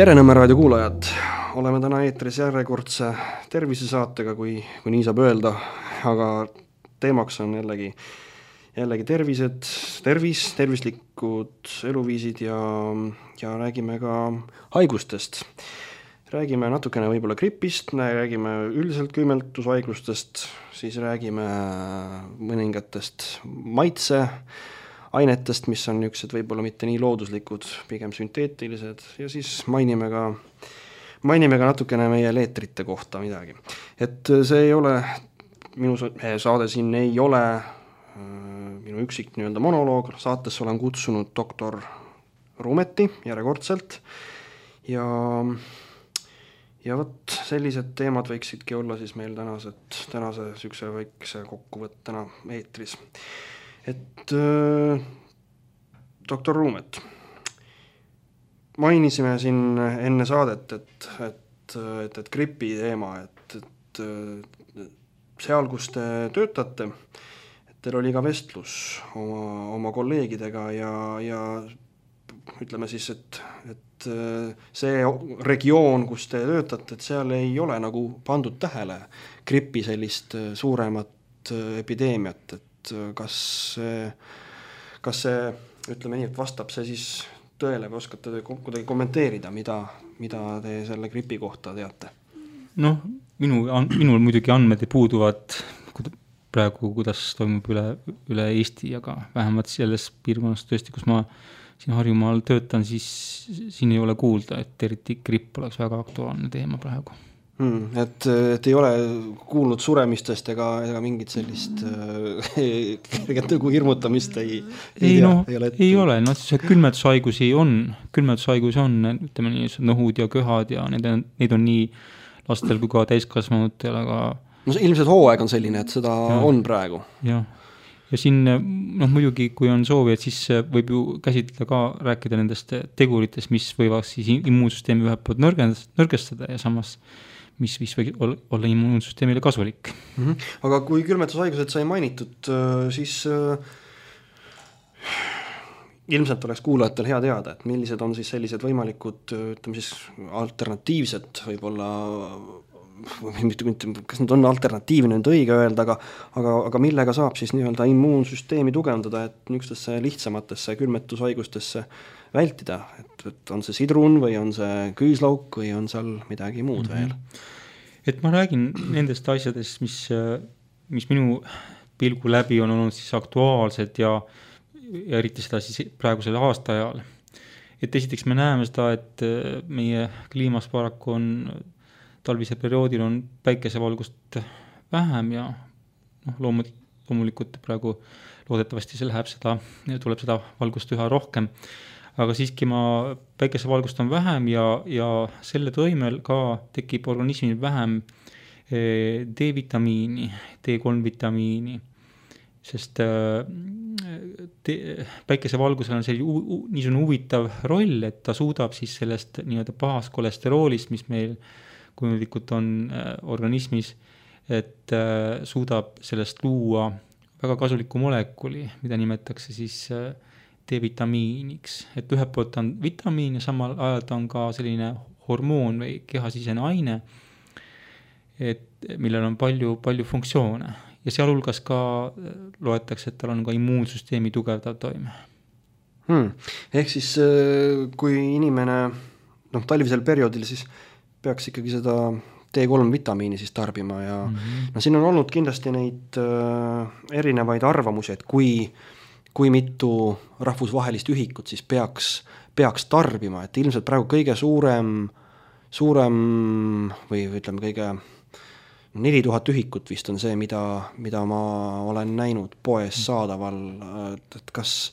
Tere Nõmme raadio kuulajad, oleme täna eetris järjekordse tervisesaatega, kui nii saab öelda, aga teemaks on jällegi tervislikud eluviisid ja räägime ka haigustest. Räägime natukene võib-olla gripist, räägime üldiselt küüneltushaigustest, siis räägime mõningatest maitseainetest, mis on niisugused võib-olla mitte nii looduslikud, pigem sünteetilised ja siis mainime ka natukene meie leetrite kohta midagi. Et see ei ole, minu saade siin ei ole minu üksik monoloog, saatesse olen kutsunud doktor Ruumeti järjekordselt ja võt sellised teemad võiksidki olla siis meil tänase sükse väikse kokkuvõttena eetris. Et doktor Ruumet, mainisime siin enne saadet, et gripi teema, et seal, kus te töötate, et teil oli ka vestlus oma kolleegidega ja ütleme siis, et see regioon, kus te töötate, et seal ei ole nagu pandud tähele gripi sellist suuremat epideemiat, et kas see, ütleme nii, et vastab see siis tõele või oskate te kuidagi kommenteerida, mida te selle gripi kohta teate? Noh, minul muidugi andmed puuduvad praegu, kuidas toimub üle Eesti, aga vähemalt selles piirkonnas tõesti, kus ma siin Harjumaal töötan, siis siin ei ole kuulda, et eriti gripp oleks väga aktuaalne teema praegu. Et ei ole kuulnud suremistest ega mingit sellist hirmutamist ei ole. No, see külmetushaigusi on, ütleme nii, nõhud ja köhad ja neid on nii lastel kui ka täiskasvanutel, aga no ilmselt hooaeg on selline, et seda on praegu. Ja siin, muidugi, kui on soovi, et siis võib ju käsitleda ka rääkida nendest teguritest, mis võivad siis immuunsüsteemi ühelt poolt nõrgestada ja samas mis võib olla immuunsüsteemile kasulik. Aga kui külmetushaigused sai mainitud, siis ilmselt oleks kuulajatel hea teada, et millised on siis sellised võimalikud, ütleme siis alternatiivsed võib-olla, kas need on alternatiivne nüüd õige öelda, aga millega saab siis nii-öelda immuunsüsteemi tugevdada, et niisugustesse lihtsamatesse külmetushaigustesse vältida, et on see sidrun või on see küüslauk või on seal midagi muud veel? Et ma räägin nendest asjadest, mis minu pilgu läbi on olnud siis aktuaalsed ja eriti seda siis praegusel aastaajal. Et esiteks me näeme seda, et meie kliimas paraku on talvisel perioodil on päikesevalgust vähem ja loomulikult praegu loodetavasti tuleb seda valgust üha rohkem, aga siiski päikesevalgust on vähem ja selle toimel ka tekib organismil vähem D-vitamiini, D3-vitamiini, sest päikesevalgusel on niisugune huvitav roll, et ta suudab siis sellest nii-öelda pahast kolesteroolist, mis meil kujundlikult on organismis, et suudab sellest luua väga kasuliku molekuli, mida nimetatakse siis D-vitamiiniks. Et ühelt poolt on vitamiin ja samal ajal ta on ka selline hormoon või kehasisene aine, millel on palju funktsioone. Ja sealhulgas ka loetakse, et tal on ka immuunsüsteemi tugevdav toime. Ehk siis kui inimene talvisel perioodil siis peaks ikkagi seda D3-vitamiini siis tarbima ja siin on olnud kindlasti neid erinevaid arvamusi, et kui mitu rahvusvahelist ühikut siis peaks tarbima, et ilmselt praegu kõige suurem või ütleme kõige 4000 ühikut vist on see, mida ma olen näinud poes saadaval, et kas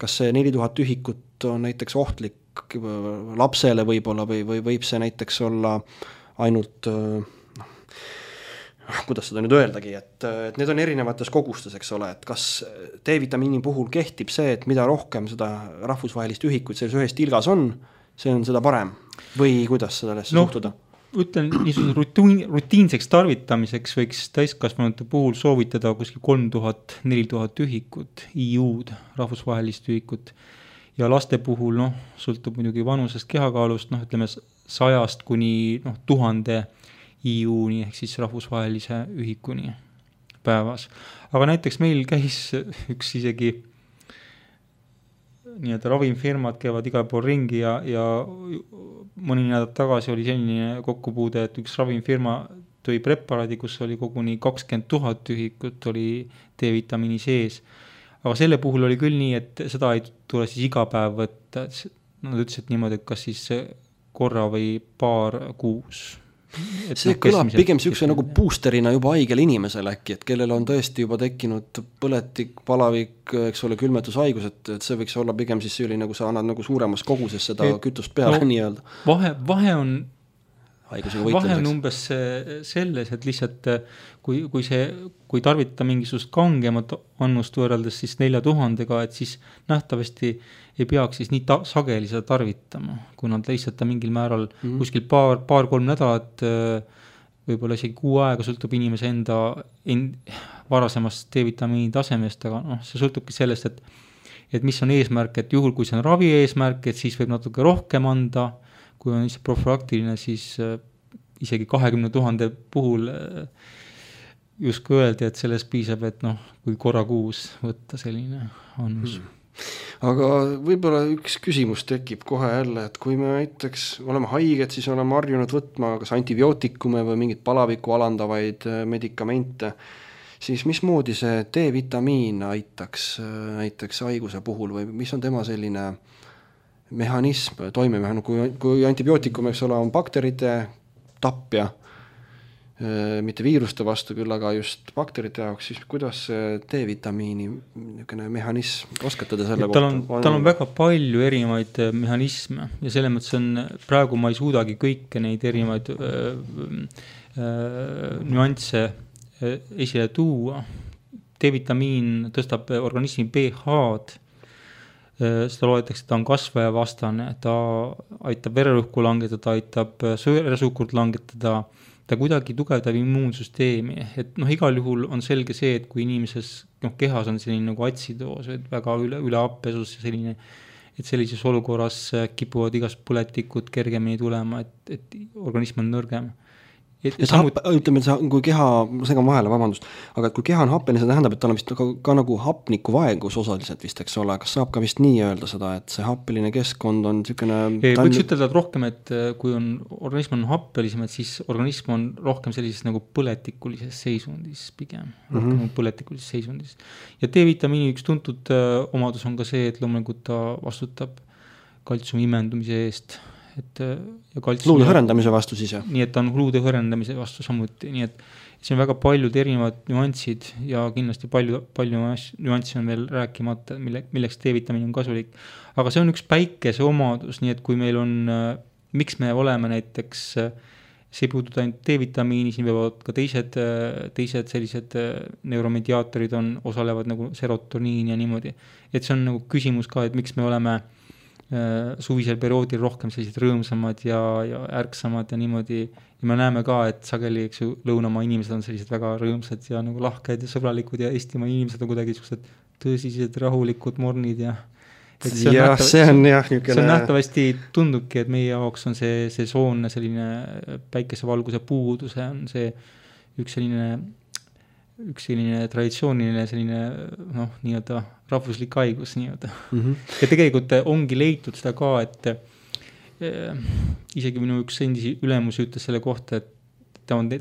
see 4000 ühikut on näiteks ohtlik lapsele võib-olla või võib see näiteks olla ainult, kuidas seda nüüd öeldagi, et need on erinevates kogustes, eks ole, et kas D-vitamiini puhul kehtib see, et mida rohkem seda rahvusvahelist ühikuid selles ühes tilgas on, see on seda parem või kuidas seda suhtuda? Ütlen, rutiinseks tarvitamiseks võiks täiskasvanute puhul soovitada kuskil 3000-4000 ühikut, IU-d, rahvusvahelist ühikut. ja laste puhul, noh, sõltub muidugi vanusest, kehakaalust, noh, ütleme 100 kuni 1000 IU-ni ehk siis rahvusvahelise ühikuni päevas. Aga näiteks meil käis üks isegi nii-öelda ravimfirmad käivad igal pool ringi ja mõni nädal tagasi oli selline kokkupuude, et üks ravimfirma tõi preparaadi, kus oli koguni 20 000 ühikut oli D-vitamiini sees. Aga selle puhul oli küll nii, et seda ei tule siis iga päev võtta. Nad ütlesid niimoodi, et kas siis korra või paar kuus. See kõlab pigem siukse nagu boosterina juba haigel inimesel äkki, et kellel on tõesti juba tekkinud põletik, palavik, eks ole, külmetushaigus, et see võiks olla pigem siis selline, nagu sa annad nagu suuremas koguses seda kütust peale nii-öelda. Vahe on umbes selles, et lihtsalt kui tarvitada mingisugust kangemat annust võrreldes siis 4000-ga, et siis nähtavasti ei peaks siis nii sageli seda tarvitama, kui nad lihtsalt mingil määral kuskil paar-kolm nädalat, võib-olla isegi kuu aega sõltub inimese enda varasemast D-vitamiini tasemest, aga noh, see sõltubki sellest, et mis on eesmärk, et juhul kui see on ravi eesmärk, et siis võib natuke rohkem anda, kui on lihtsalt profülaktiline, siis isegi 20 000 puhul justkui öeldi, et sellest piisab, et noh, kui korra kuus võtta selline annus. Aga võib-olla üks küsimus tekib kohe jälle, et kui me näiteks oleme haiged, siis oleme harjunud võtma kas antibiootikume või mingit palavikku alandavaid medikamente, siis mismoodi see D-vitamiin aitaks näiteks haiguse puhul või mis on tema selline mehhanism, toimemehhanism, kui antibiootikum, eks ole, on bakterite tapja, mitte viiruste vastu küll, aga just bakterite jaoks, siis kuidas D-vitamiini mehhanism, oskate te selle kohta? Tal on väga palju erinevaid mehhanisme ja selle mõttes praegu ma ei suudagi kõike neid erinevaid nüansse esile tuua. D-vitamiin tõstab organismi pH-d, seda loetakse, ta on kasvajavastane, ta aitab vererõhku langetada, aitab veresuhkurt langetada, ta kuidagi tugevdab immuunsüsteemi, et noh, igal juhul on selge see, et kui inimeses kehas on selline nagu atsidoos, et väga üle appesus ja selline, et sellises olukorras kipuvad igast põletikud kergemini tulema, et organism on nõrgem. Ütleme, kui keha, segan vahele, vabandust, aga kui keha on happeline, see tähendab, et tal on vist ka nagu hapniku vaegus osaliselt vist, eks ole, kas saab ka vist nii öelda seda, et see happeline keskkond on niisugune... Võiks ütelda rohkem, et kui organism on happelisem, et siis organism on rohkem sellises nagu põletikulises seisundis pigem, rohkem põletikulises seisundis. Ja D-vitamiini üks tuntud omadus on ka see, et loomulikult ta vastutab kaltsiumi imendumise eest, luude hõrendamise vastu siis, jah? Nii, et ta on luude hõrendamise vastu samuti, nii et see on väga paljud erinevad nüansid ja kindlasti palju nüanssi on veel rääkimata, milleks D-vitamiin on kasulik. Aga see on üks päikese omadus, nii et kui meil on, miks me oleme näiteks, see ei puuduta ainult D-vitamiini, siin võivad ka teised sellised neuromediaatorid osalevad nagu serotoniin ja niimoodi. Et see on nagu küsimus ka, et miks me oleme suvisel perioodil rohkem sellised rõõmsamad ja ärksamad ja niimoodi. Ja me näeme ka, et sageli lõunamaa inimesed on sellised väga rõõmsad ja nagu lahked ja sõbralikud ja Eestimaa inimesed on kuidagi tõsised rahulikud mornid ja see on nähtavasti tundubki, et meie jaoks on see soonne selline päikesevalguse puuduse on see üks selline traditsiooniline selline nii-öelda rahvuslik haigus nii-öelda. Ja tegelikult ongi leitud seda ka, et isegi minu üks endisi ülemusi ütles selle kohta, et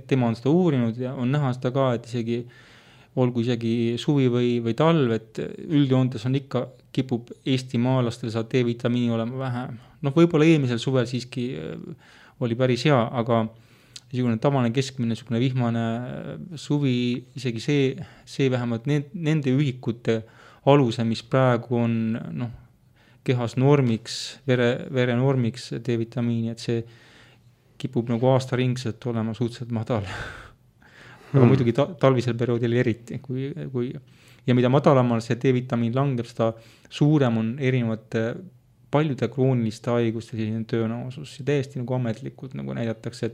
tema on seda uurinud ja on näha seda ka, et olgu isegi suvi või talv, et üldjoontes on ikka kipub eestimaalastel saab D-vitamiini olema vähem. Võib-olla eelmisel suvel siiski oli päris hea, aga niisugune tavaline keskmine, niisugune vihmane suvi, isegi see vähemalt nende ühikute aluse, mis praegu on kehas normiks, vere normiks D-vitamiini, et see kipub nagu aastaringselt olema suhteliselt madal. Aga muidugi talvisel perioodil eriti. Ja mida madalamal see D-vitamiin langeb, seda suurem on erinevate paljude krooniliste haiguste selline tõenäosus ja täiesti nagu ametlikult nagu näidatakse,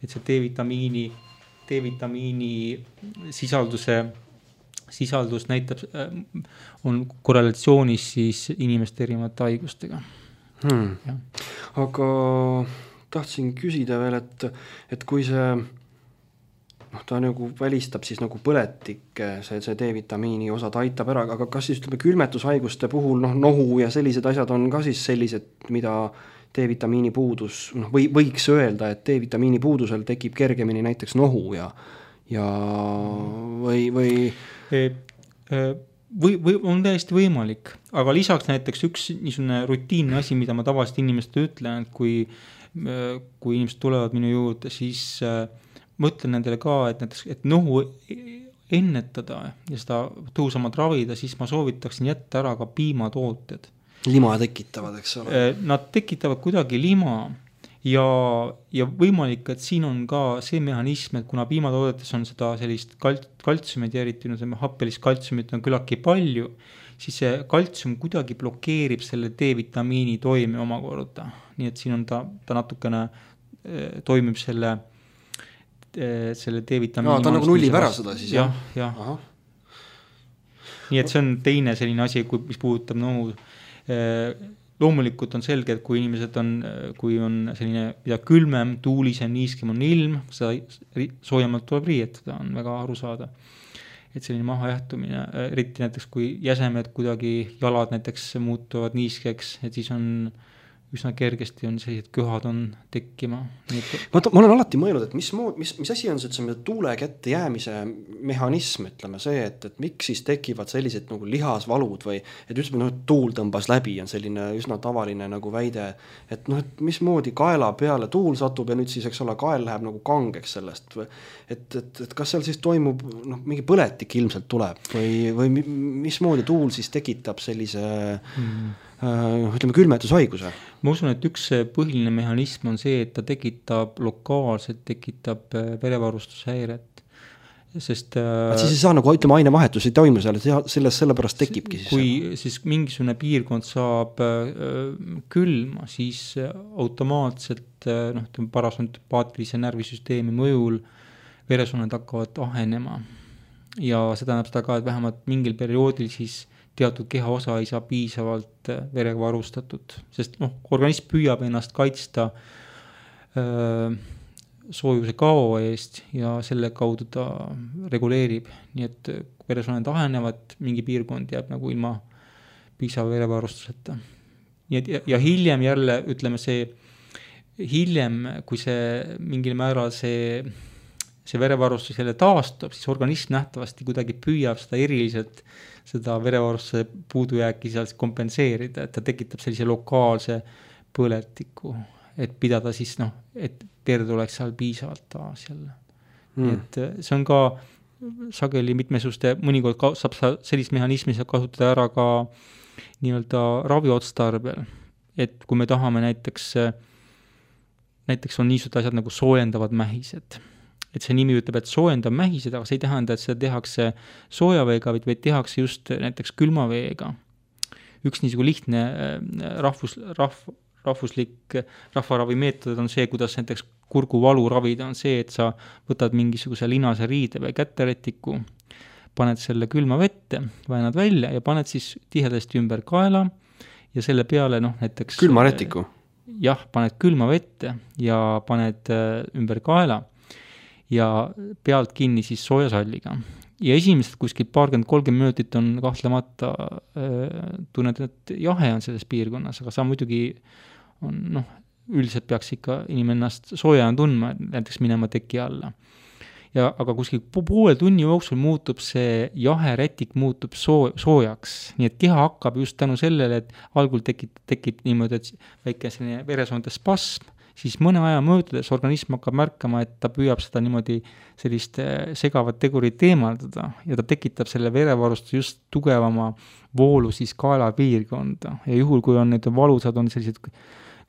et see D-vitamiini sisalduse sisaldus näitab, on korrelatsioonis siis inimeste erinevate haigustega. Aga tahtsin küsida veel, et kui see ta nagu välistab siis nagu põletik, see D-vitamiini osa, ta aitab ära, aga kas siis ütleme külmetushaiguste puhul nohu ja sellised asjad on ka siis sellised, mida D-vitamiini puudus, võiks öelda, et D-vitamiini puudusel tekib kergemini näiteks nohu ja või on täiesti võimalik, aga lisaks näiteks üks niisugune rutiinne asi, mida ma tavaliselt inimestele ütlen, et kui inimesed tulevad minu juurde, siis mõtlen nendele ka, et näiteks, et nohu ennetada ja seda tõhusamalt ravida, siis ma soovitaksin jätta ära ka piimatooted. Lima tekitavad, eks ole? Nad tekitavad kuidagi lima ja võimalik, et siin on ka see mehhanism, et kuna piimatoodetes on seda sellist kaltsiumit ja eriti happelist kaltsiumit on küllaltki palju, siis see kaltsium kuidagi blokeerib selle D-vitamiini toime omakorda. Nii et siin on ta natukene toimib selle D-vitamiini. Ta nagu nullib ära seda siis? Jah. Nii et see on teine selline asi, mis puudutab nohu. Loomulikult on selge, et kui inimesed kui on selline mida külmem, tuulisem, niiskem on ilm, seda soojemalt tuleb riietada, on väga aru saada. Et selline mahajähtumine, eriti näiteks kui jäsemed kuidagi jalad näiteks muutuvad niiskeks, et siis on üsna kergesti on sellised köhad on tekkima. Ma olen alati mõelnud, et mis asi on see tuule kätte jäämise mehhanism, ütleme see, et miks siis tekivad sellised nagu lihasvalud või et ütleme, et tuul tõmbas läbi on selline üsna tavaline nagu väide, et et mismoodi kaela peale tuul satub ja nüüd siis, eks ole, kael läheb nagu kangeks sellest. Et kas seal siis toimub, mingi põletik ilmselt tuleb või mismoodi tuul siis tekitab sellise ütleme külmetushaiguse? Ma usun, et üks põhiline mehhanism on see, et ta lokaalselt tekitab verevarustushäiret. Sest siis ei saa nagu ütleme ainevahetus ei toimu seal, sellepärast tekibki siis. Kui siis mingisugune piirkond saab külma, siis automaatselt parasympaatilise närvisüsteemi mõjul veresooned hakkavad ahenema. Ja seda näeb seda ka, et vähemalt mingil perioodil siis teatud kehaosa ei saa piisavalt verega varustatud, sest organism püüab ennast kaitsta soojuse kao eest ja selle kaudu ta reguleerib, nii et veresooned ahenevad, mingi piirkond jääb nagu ilma piisava verevarustuseta. Ja hiljem jälle, ütleme hiljem, kui see mingil määral see verevarustus jälle taastub, siis organism nähtavasti kuidagi püüab seda eriliselt seda verevarustuse puudujääki seal kompenseerida, et ta tekitab sellise lokaalse põletiku, et pidada siis, et verd oleks seal piisavalt taas jälle. Et see on ka sageli mitmesuste, mõnikord saab sellist mehhanismi kasutada ära ka nii-öelda raviotstarbel, et kui me tahame näiteks on niisugused asjad nagu soojendavad mähised, et see nimi ütleb, et soojendab mähised, aga see ei tähenda, et seda tehakse soojaveega, vaid tehakse just näiteks külmaveega. Üks niisugune lihtne rahvuslik rahvaravimeetod on see, kuidas näiteks kurguvalu ravida, on see, et sa võtad mingisuguse linase riide või kätterätiku, paned selle külma vette, väänad välja ja paned siis tihedasti ümber kaela ja selle peale näiteks külmarätiku? Jah, paned külma vette ja paned ümber kaela ja pealt kinni siis soojasalliga. Ja esimesed kuskil 20-30 minutit on kahtlemata tunned, et jahe on selles piirkonnas, aga sa muidugi üldiselt peaks ikka inimene ennast soojana tundma, näiteks minema teki alla. Aga kuskil poole tunni jooksul muutub see jahe rätik muutub soojaks, nii et keha hakkab just tänu sellele, et algul tekib niimoodi, et väike selline veresoonte spasm, siis mõne aja möödudes organism hakkab märkama, et ta püüab seda niimoodi sellist segavat tegurit eemaldada ja ta tekitab selle verevarustuse just tugevama voolu siis kaelapiirkonda ja juhul, kui on need valusad, on sellised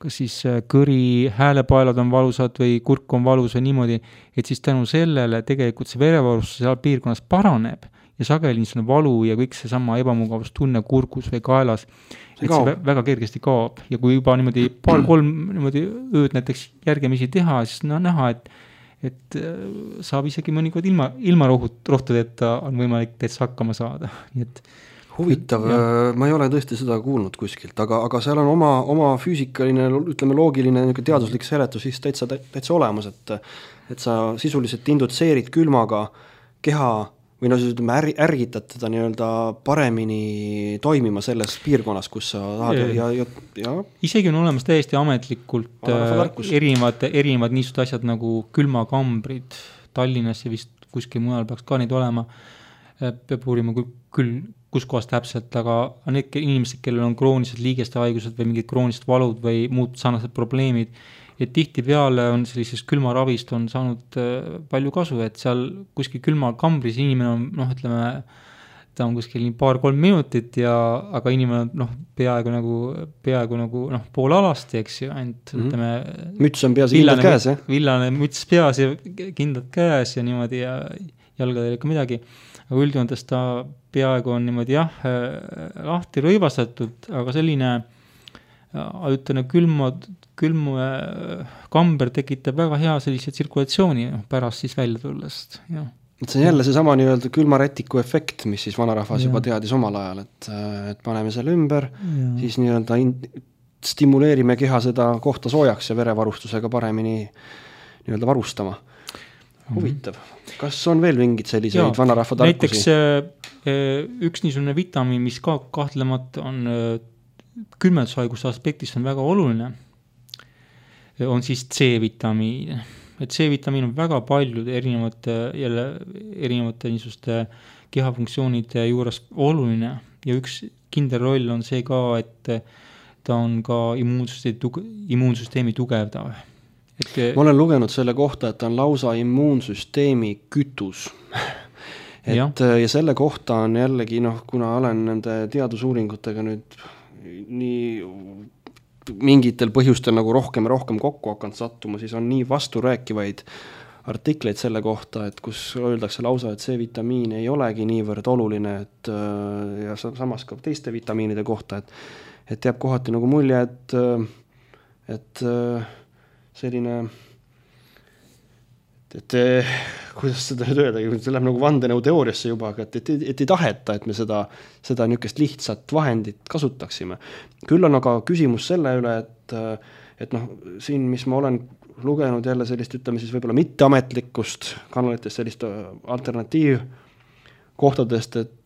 kas siis kõri, häälepaelad on valusad või kurk on valus või niimoodi, et siis tänu sellele tegelikult see verevarustus seal piirkonnas paraneb ja sageli niisugune valu ja kõik see sama ebamugavustunne kurgus või kaelas, et see väga kergesti kaob. Ja kui juba niimoodi 2-3 niimoodi ööd näiteks järgemisi teha, siis näha, et saab isegi mõnikord ilma rohtudeta on võimalik täitsa hakkama saada, nii et huvitav, ma ei ole tõesti seda kuulnud kuskilt, aga seal on oma füüsikaline, ütleme loogiline teaduslik seletus siis täitsa olemas, et sa sisuliselt indutseerid külmaga keha või no siis ütleme ärgitad teda nii-öelda paremini toimima selles piirkonnas, kus sa tahad ja isegi on olemas täiesti ametlikult erinevad niisugused asjad nagu külmakambrid Tallinnas ja vist kuskil mujal peaks ka neid olema, peab uurima küll kus kohas täpselt, aga need inimesed, kellel on kroonised liigeste haigused või mingid kroonised valud või muud sarnased probleemid, et tihtipeale on sellisest külmaravist on saanud palju kasu, et seal kuskil külmakambris inimene on, ütleme, ta on kuskil nii 2-3 minutit aga inimene on peaaegu nagu pool alasti, eks ju, ainult ütleme müts on peas kindlad käes, jah? Villane müts peas ja kindlad käes ja niimoodi ja jalgadel ikka midagi, aga üldjoontes ta peaaegu on niimoodi lahti rõivastatud, aga selline ütleme külmkamber tekitab väga hea sellise tsirkulatsiooni pärast siis välja tullest, jah. Et see on jälle see sama nii-öelda külmarätiku efekt, mis siis vanarahvas juba teadis omal ajal, et paneme selle ümber, siis nii-öelda stimuleerime keha seda kohta soojaks ja verevarustusega paremini nii-öelda varustama. Huvitav. Kas on veel mingid selliseid vanarahva tarkusi? Näiteks üks niisugune vitamiin, mis ka kahtlemata on külmetushaiguste aspektist on väga oluline, on siis C-vitamiin. Et C-vitamiin on väga paljude erinevate niisuguste kehafunktsioonide juures oluline ja üks kindel roll on see ka, et ta on ka immuunsüsteemi tugevdav. Ma olen lugenud selle kohta, et ta on lausa immuunsüsteemi kütus. Ja selle kohta on jällegi, kuna olen nende teadusuuringutega nüüd nii mingitel põhjustel nagu rohkem kokku hakanud sattuma, siis on nii vasturääkivaid artikleid selle kohta, et kus öeldakse lausa, et C-vitamiin ei olegi niivõrd oluline, ja samas ka teiste vitamiinide kohta, et jääb kohati nagu mulje, et selline, et kuidas seda nüüd öelda, see läheb nagu vandenõu teooriasse juba, aga et ei taheta, et me seda niisugust lihtsat vahendit kasutaksime. Küll on aga küsimus selle üle, et siin, mis ma olen lugenud jälle sellist, ütleme siis võib-olla mitteametlikust kanalitest, sellist alternatiivkohtadest, et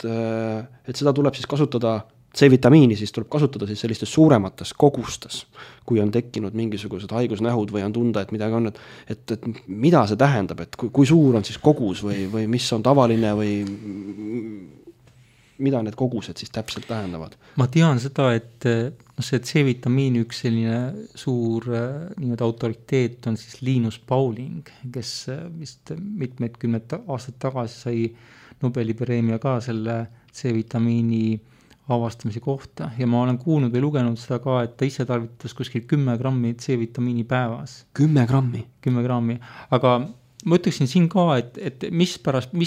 seda tuleb siis kasutada C-vitamiini, siis tuleb kasutada siis sellistes suuremates kogustes, kui on tekkinud mingisugused haigusnähud või on tunda, et midagi on, et mida see tähendab, et kui suur on siis kogus või mis on tavaline või mida need kogused siis täpselt tähendavad? Ma tean seda, et see C-vitamiini üks selline suur autoriteet on siis Linus Pauling, kes vist mitmed aastad tagasi sai Nobeli preemia ka selle C-vitamiini avastamise kohta ja ma olen kuulnud või lugenud seda ka, et ta ise tarvitas kuskil 10 grammi C-vitamiini päevas. 10 grammi? 10 grammi, aga ma ütleksin siin ka, et mis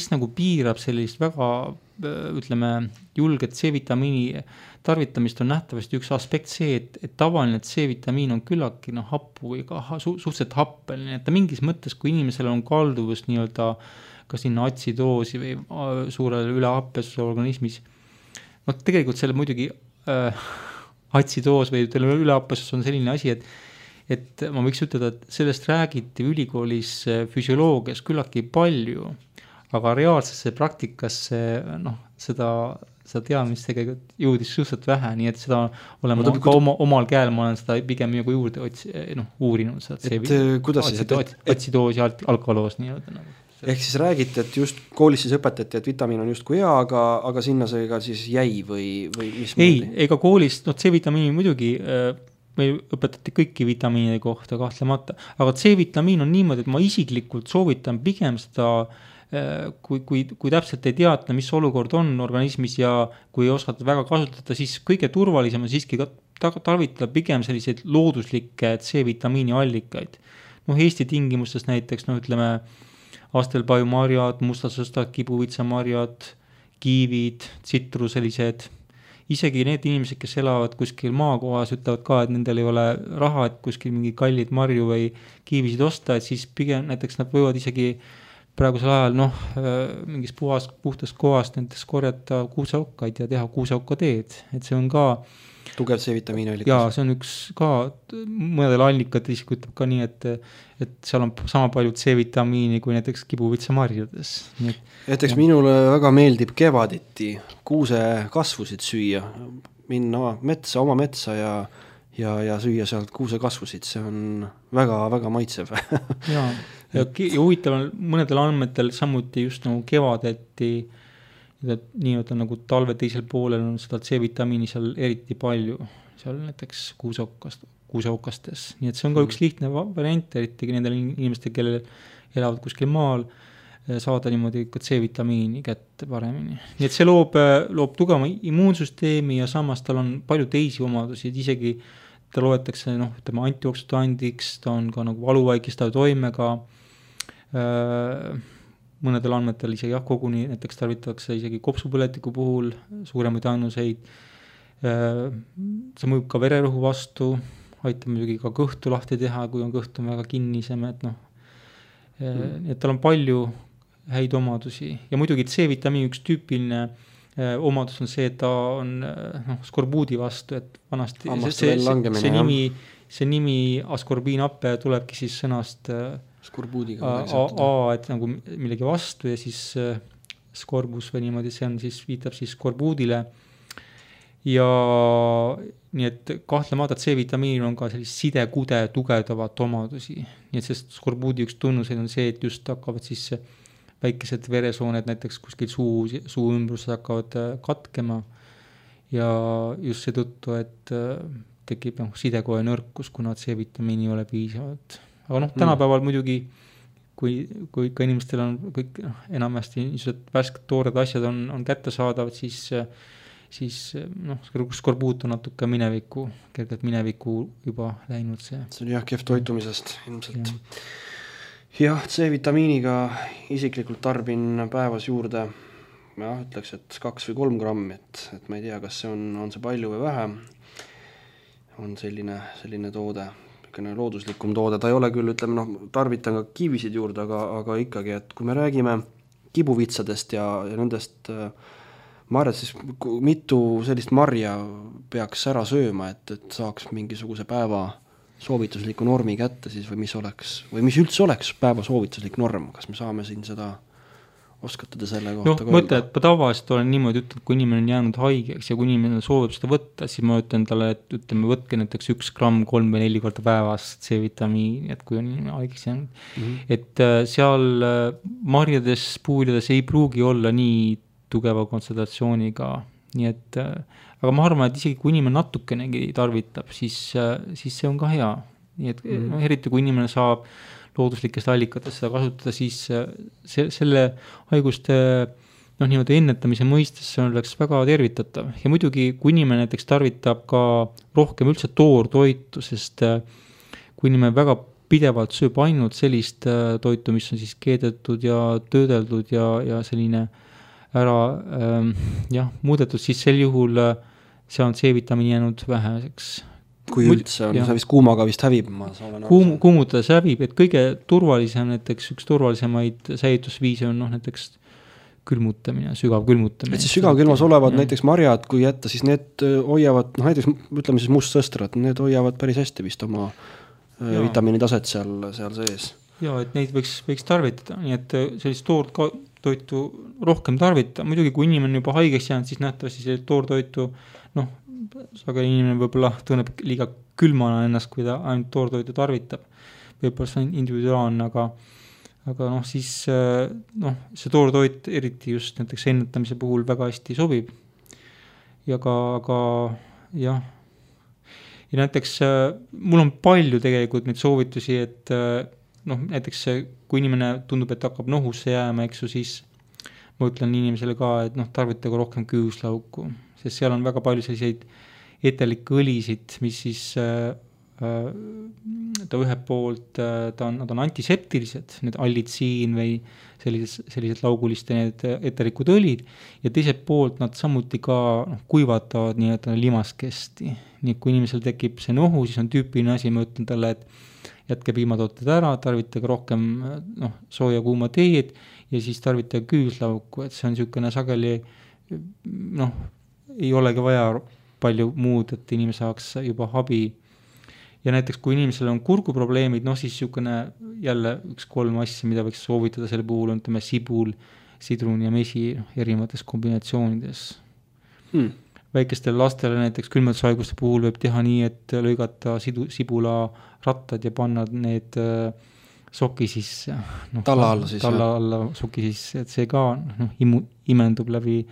nagu piirab sellist väga, ütleme, julget C-vitamiini tarvitamist on nähtavasti üks aspekt see, et tavaline C-vitamiin on küllaki happu või ka suhteliselt happeline, et ta mingis mõttes, kui inimesel on kalduvus nii-öelda ka sinna atsidoosi või suurele ülehappesuse organismis, tegelikult selle muidugi atsidoos või üleappesus on selline asi, et ma võiks ütelda, et sellest räägiti ülikoolis füsioloogias küllaki palju, aga reaalsesse praktikasse seda teadmist tegelikult jõudis suhteliselt vähe, nii et seda olen ma ka omal käel, ma olen seda pigem nagu juurde uurinud. Atsidoosi ja alkaloos nii-öelda nagu. Ehk siis räägite, et just koolis siis õpetati, et vitamiin on justkui hea, aga sinna see ka siis jäi või mis? Ei, ega koolis, C-vitamiini muidugi meil õpetati kõiki vitamiinide kohta kahtlemata, aga C-vitamiin on niimoodi, et ma isiklikult soovitan pigem seda, kui täpselt ei teata, mis olukord on organismis ja kui ei osata väga kasutada, siis kõige turvalisem on siiski tarvitada pigem selliseid looduslikke C-vitamiini allikaid. Eesti tingimustes näiteks, ütleme, astelpaiumarjad, mustasõstad, kibuvitsamarjad, kiivid, tsitruselised isegi need inimesed, kes elavad kuskil maakohas, ütlevad ka, et nendel ei ole raha, et kuskil mingi kallid marju või kiivisid osta, et siis pigem näiteks nad võivad isegi praegusel ajal mingis puhtast kohast näiteks korjata kuuseaukaid ja teha kuuseaukateed, et see on ka tugev C-vitamiini allikas. Jaa, see on üks ka, mõnedel allikad isik ütleb ka nii, et seal on sama palju C-vitamiini kui näiteks kibuvitsamarjades. Näiteks minule väga meeldib kevaditi kuuse kasvusid süüa, minna oma metsa ja süüa sealt kuuse kasvusid, see on väga-väga maitsev. Jaa, ja huvitaval mõnedel andmetel samuti just nagu kevadeti nii-öelda nagu talve teisel poolel on seda C-vitamiini seal eriti palju, seal näiteks kuuseaukastes. Nii et see on ka üks lihtne variant, eriti nendel inimestel, kellel elavad kuskil maal, saada niimoodi ka C-vitamiini kätte paremini. Nii et see loob tugeva immuunsüsteemi ja samas tal on palju teisi omadusi, et isegi ta loetakse antioksidandiks, ta on ka nagu valuvaikistava toimega, mõnedel andmetel isegi koguni näiteks tarvitatakse isegi kopsupõletiku puhul suuremaid ainuseid. See mõjub ka vererõhu vastu, aitab muidugi ka kõhtu lahti teha, kui on kõht on väga kinnisem, et tal on palju häid omadusi ja muidugi C-vitamiini üks tüüpiline omadus on see, et ta on skorbuudi vastu, et vanasti see nimi askorbiinappe tulebki siis sõnast skorbuudiga et nagu millegi vastu ja siis skorbus või niimoodi, see on siis, viitab siis skorbuudile ja nii et kahtlemata C-vitamiinil on ka sellist sidekude tugevdavat omadusi, nii et sest skorbuudi üks tunnuseid on see, et just hakkavad siis väikesed veresooned näiteks kuskil suu ümbruses hakkavad katkema ja just seetõttu, et tekib sidekoe nõrkus, kuna C-vitamiini ei ole piisavalt. Aga tänapäeval muidugi, kui ikka inimestel on kõik enamasti niisugused värsked toored asjad on kättesaadavad, siis skorbuut on natuke kergelt mineviku juba läinud see. See on kehv toitumisest ilmselt. Jah, C-vitamiiniga isiklikult tarbin päevas juurde, ütleks, et 2 või 3 grammi, et ma ei tea, kas see on see palju või vähe, on selline toode, looduslikum toode, ta ei ole küll, ütleme, tarvitan ka kiivisid juurde, aga ikkagi, et kui me räägime kibuvitsadest ja nendest marjad, siis mitu sellist marja peaks ära sööma, et saaks mingisuguse päeva soovitusliku normi kätte siis või mis üldse oleks päeva soovituslik norm, kas me saame siin seda oskate te selle kohta ka mõtle, et ma tavaliselt olen niimoodi ütlen, kui inimene on jäänud haigeks ja kui inimene soovib seda võtta, siis ma ütlen talle, et ütleme, võtke näiteks 1 gramm 3 või 4 korda päevas C-vitamiini, et kui on inimene haigeks jäänud. Et seal marjades, puulides ei pruugi olla nii tugeva kontsentratsiooniga, nii et aga ma arvan, et isegi kui inimene natukenegi tarvitab, siis see on ka hea. Nii et eriti kui inimene saab looduslikest allikatest seda kasutada, siis selle haiguste niimoodi ennetamise mõistes see oleks väga tervitatav. Ja muidugi, kui inimene näiteks tarvitab ka rohkem üldse toortoitu, sest kui inimene väga pidevalt sööb ainult sellist toitu, mis on siis keedetud ja töödeldud ja selline ära muudetud, siis sel juhul see on C-vitamiini jäänud väheseks. Kui üldse on, see vist kuumaga vist hävib. Kuumutades hävib, et kõige turvalisem, näiteks üks turvalisemaid säilitusviise on näiteks külmutamine, sügav külmutamine. Et siis sügavkülmas olevad näiteks marjad, kui jätta, siis need hoiavad, näiteks ütleme siis mustsõstrad, need hoiavad päris hästi vist oma vitamiini taset seal sees. Ja, et neid võiks tarvitada, nii et sellist toortoitu rohkem tarvita. Muidugi, kui inimene juba haigeks jäänud, siis nähtavasti sellist toortoitu, aga inimene võib-olla tunneb liiga külmana ennast, kui ta ainult toortoitu tarvitab. Võib-olla see on individuaalne, aga siis see toortoit eriti just näiteks ennetamise puhul väga hästi sobib. Ja jah. Ja näiteks mul on palju tegelikult neid soovitusi, et näiteks kui inimene tundub, et hakkab nohusse jääma, siis ma ütlen inimesele ka, et tarvitage rohkem küüslauku, sest seal on väga palju selliseid etelikke õlisid, mis siis ta ühelt poolt, nad on antiseptilised, need allitsiin või sellised lauguliste need eterikud õlid, ja teiselt poolt nad samuti ka kuivatavad nii-öelda limaskesti. Nii kui inimesel tekib see nohu, siis on tüüpiline asi, ma ütlen talle, et jätke piimatooted ära, tarvitage rohkem sooja kuuma teed ja siis tarvitage küüslauku, et see on niisugune sageli, ei olegi vaja palju muud, et inimene saaks juba abi. Ja näiteks, kui inimesel on kurguprobleemid, siis niisugune jälle 1-3 asja, mida võiks soovitada selle puhul, on sibul, sidrun ja mesi erinevates kombinatsioonides. Väikestele lastele näiteks külmetushaiguste puhul võib teha nii, et lõigata sibula rattad ja panna need soki sisse. Talla alla siis. Talla alla soki sisse, et see ka imendub läbi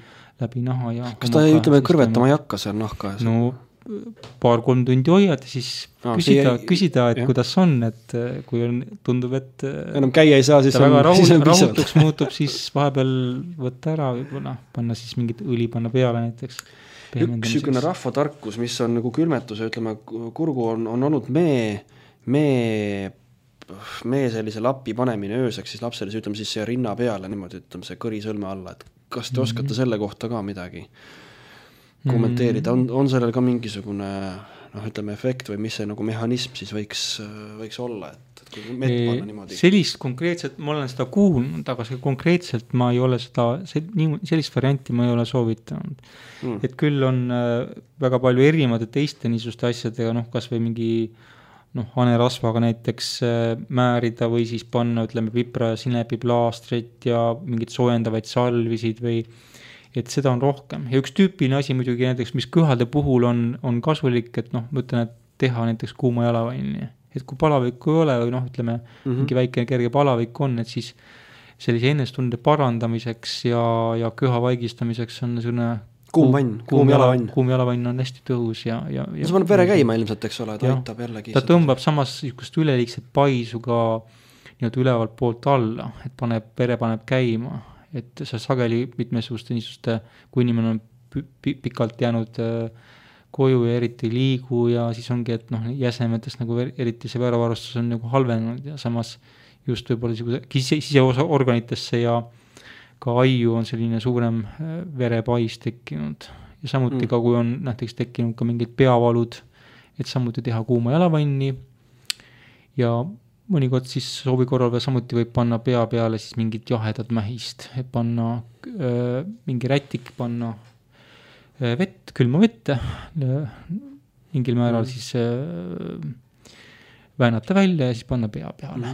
naha. Ja kas ta ütleme, kõrvetama ei hakka seal nahka? No 2-3 tundi hoiad ja siis küsida, et kuidas on, et kui on, tundub, et enam käia ei saa, siis on väga rahutuks muutub, siis vahepeal võtta ära, võib-olla panna siis mingit õli panna peale näiteks. Üks niisugune rahvatarkus, mis on nagu külmetuse, ütleme, kurgu on olnud mee sellise lapi panemine ööseks, siis lapsele ütleme siis see rinna peale, niimoodi ütleme see kõri sõlme alla, et kas te oskate selle kohta ka midagi kommenteerida, on sellel ka mingisugune ütleme efekt või mis see nagu mehhanism siis võiks olla, et kui mett panna niimoodi? Sellist konkreetselt, ma olen seda kuulnud, aga konkreetselt ma ei ole sellist varianti ma ei ole soovitanud. Et küll on väga palju erinevate teiste niisuguste asjadega, kas või mingi hanerasvaga näiteks määrida või siis panna, ütleme, pipra ja sinepiplaastrit ja mingid soojendavaid salvisid või et seda on rohkem. Ja üks tüüpiline asi muidugi näiteks, mis köhade puhul on kasulik, et ma ütlen, et teha näiteks kuuma jalavanni. Et kui palavikku ei ole või ütleme, mingi väike kerge palavik on, et siis sellise ennestunde parandamiseks ja köha vaigistamiseks on selline kuum jalavann on hästi tõhus ja see paneb vere käima ilmselt, eks ole, ta aitab jällegi. Ta tõmbab samas üleliigset paisu ka ülevalt poolt alla, et vere paneb käima. Et sa sageli mitmesuguste niisuguste, kui inimene on pikalt jäänud koju ja eriti liigu ja siis ongi, et jäsemetest nagu eriti see verevarustus on nagu halvenud ja samas just võib-olla siseorganitesse ja ka aiu on selline suurem verepais tekkinud. Ja samuti ka, kui on näiteks tekkinud ka mingid peavalud, et samuti teha kuuma jalavanni ja mõnikord siis soovi korral või samuti võib panna pea peale siis mingit jahedat mähist, et panna mingi rätik, panna vett, külma vette, mingil määral siis väänata välja ja siis panna pea peale.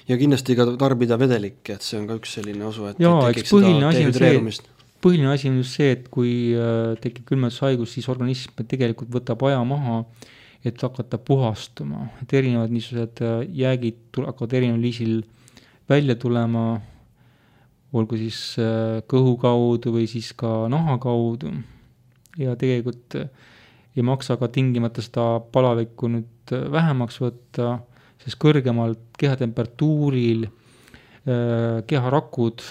Ja kindlasti ka tarbida vedelik, et see on ka üks selline osu, et tekiks seda dehüdreerumist. Põhiline asi on just see, et kui tekib külmetushaigus, siis organism tegelikult võtab aja maha, et hakata puhastuma, et erinevad niisugused jäägid hakkavad erineval liisil välja tulema, olgu siis kõhu kaudu või siis ka naha kaudu ja tegelikult ei maksa ka tingimata seda palavikku nüüd vähemaks võtta, sest kõrgemalt kehatemperatuuril keharakud,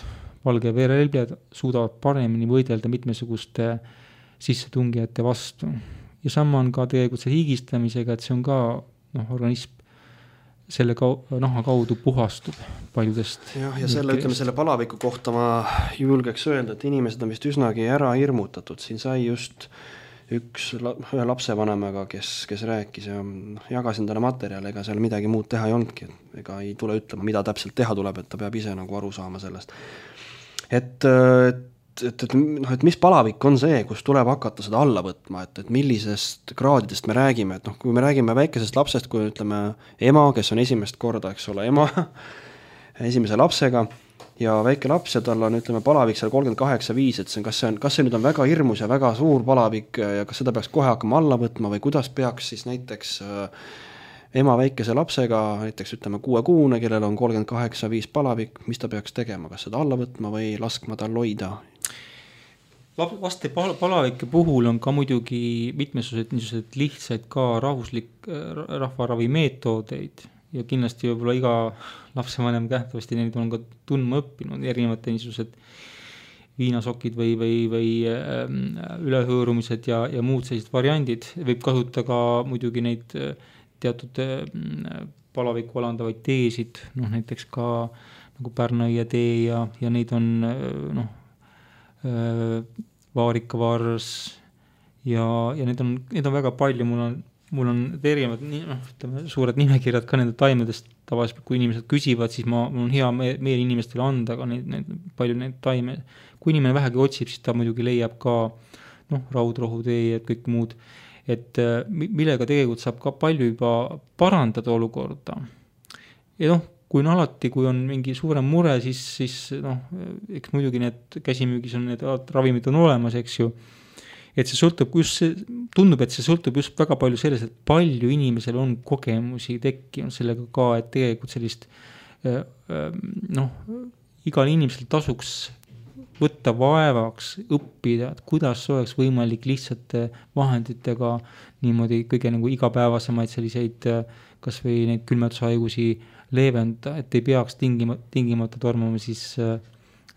valge verelbjad suudavad paremini võidelda mitmesuguste sissetungijate vastu. Ja sama on ka tegelikult see higistamisega, et see on ka organism selle naha kaudu puhastub paljudest. Ja selle, ütleme, selle palaviku kohta ma julgeks öelda, et inimesed on vist üsnagi ära hirmutatud. Siin sai just ühe lapsevanemaga, kes rääkis ja jagasin talle materjali, ega seal midagi muud teha ei olnudki. Ega ei tule ütlema, mida täpselt teha tuleb, et ta peab ise nagu aru saama sellest. Et mis palavik on see, kus tuleb hakata seda alla võtma, et millisest kraadidest me räägime, et kui me räägime väikesest lapsest, kui ütleme ema, kes on esimest korda, eks ole, ema esimese lapsega ja väike laps ja tal on, ütleme, palavik seal 38,5, et kas see nüüd on väga hirmus ja väga suur palavik ja kas seda peaks kohe hakkama alla võtma või kuidas peaks siis näiteks ema väikese lapsega, näiteks ütleme 6-kuune, kellel on 38,5 palavik, mis ta peaks tegema, kas seda alla võtma või laskma tal hoida? Laste palavike puhul on ka muidugi mitmesugused lihtsaid ka rahvaravi meetodeid ja kindlasti võib-olla iga lapsevanem kähtavasti neid on ka tundma õppinud, erinevate niisugused viinasokid või ülehõõrumised ja muud sellised variandid. Võib kasutada ka muidugi neid teatud palavikku alandavaid teesid, noh näiteks ka nagu Pärnaia tee ja neid on noh, vaarikavars ja neid on väga palju, mul on erinevad suured nimekirjad ka nende taimedest, tavaliselt kui inimesed küsivad, siis mul on hea meel inimestele anda ka palju neid taime. Kui inimene vähegi otsib, siis ta muidugi leiab ka raudrohutee ja kõik muud, et millega tegelikult saab ka palju juba parandada olukorda. Ja kui on alati, kui on mingi suurem mure, siis eks muidugi need käsimüügis on need ravimid on olemas, eks ju. Et see sõltub tundub, et see sõltub just väga palju sellest, et palju inimesel on kogemusi tekkinud sellega ka, et tegelikult sellist igal inimesel tasuks võtta vaevaks õppida, et kuidas oleks võimalik lihtsate vahenditega niimoodi kõige nagu igapäevasemaid selliseid kas või neid külmetushaigusi leevenda, et ei peaks tingimata tormama siis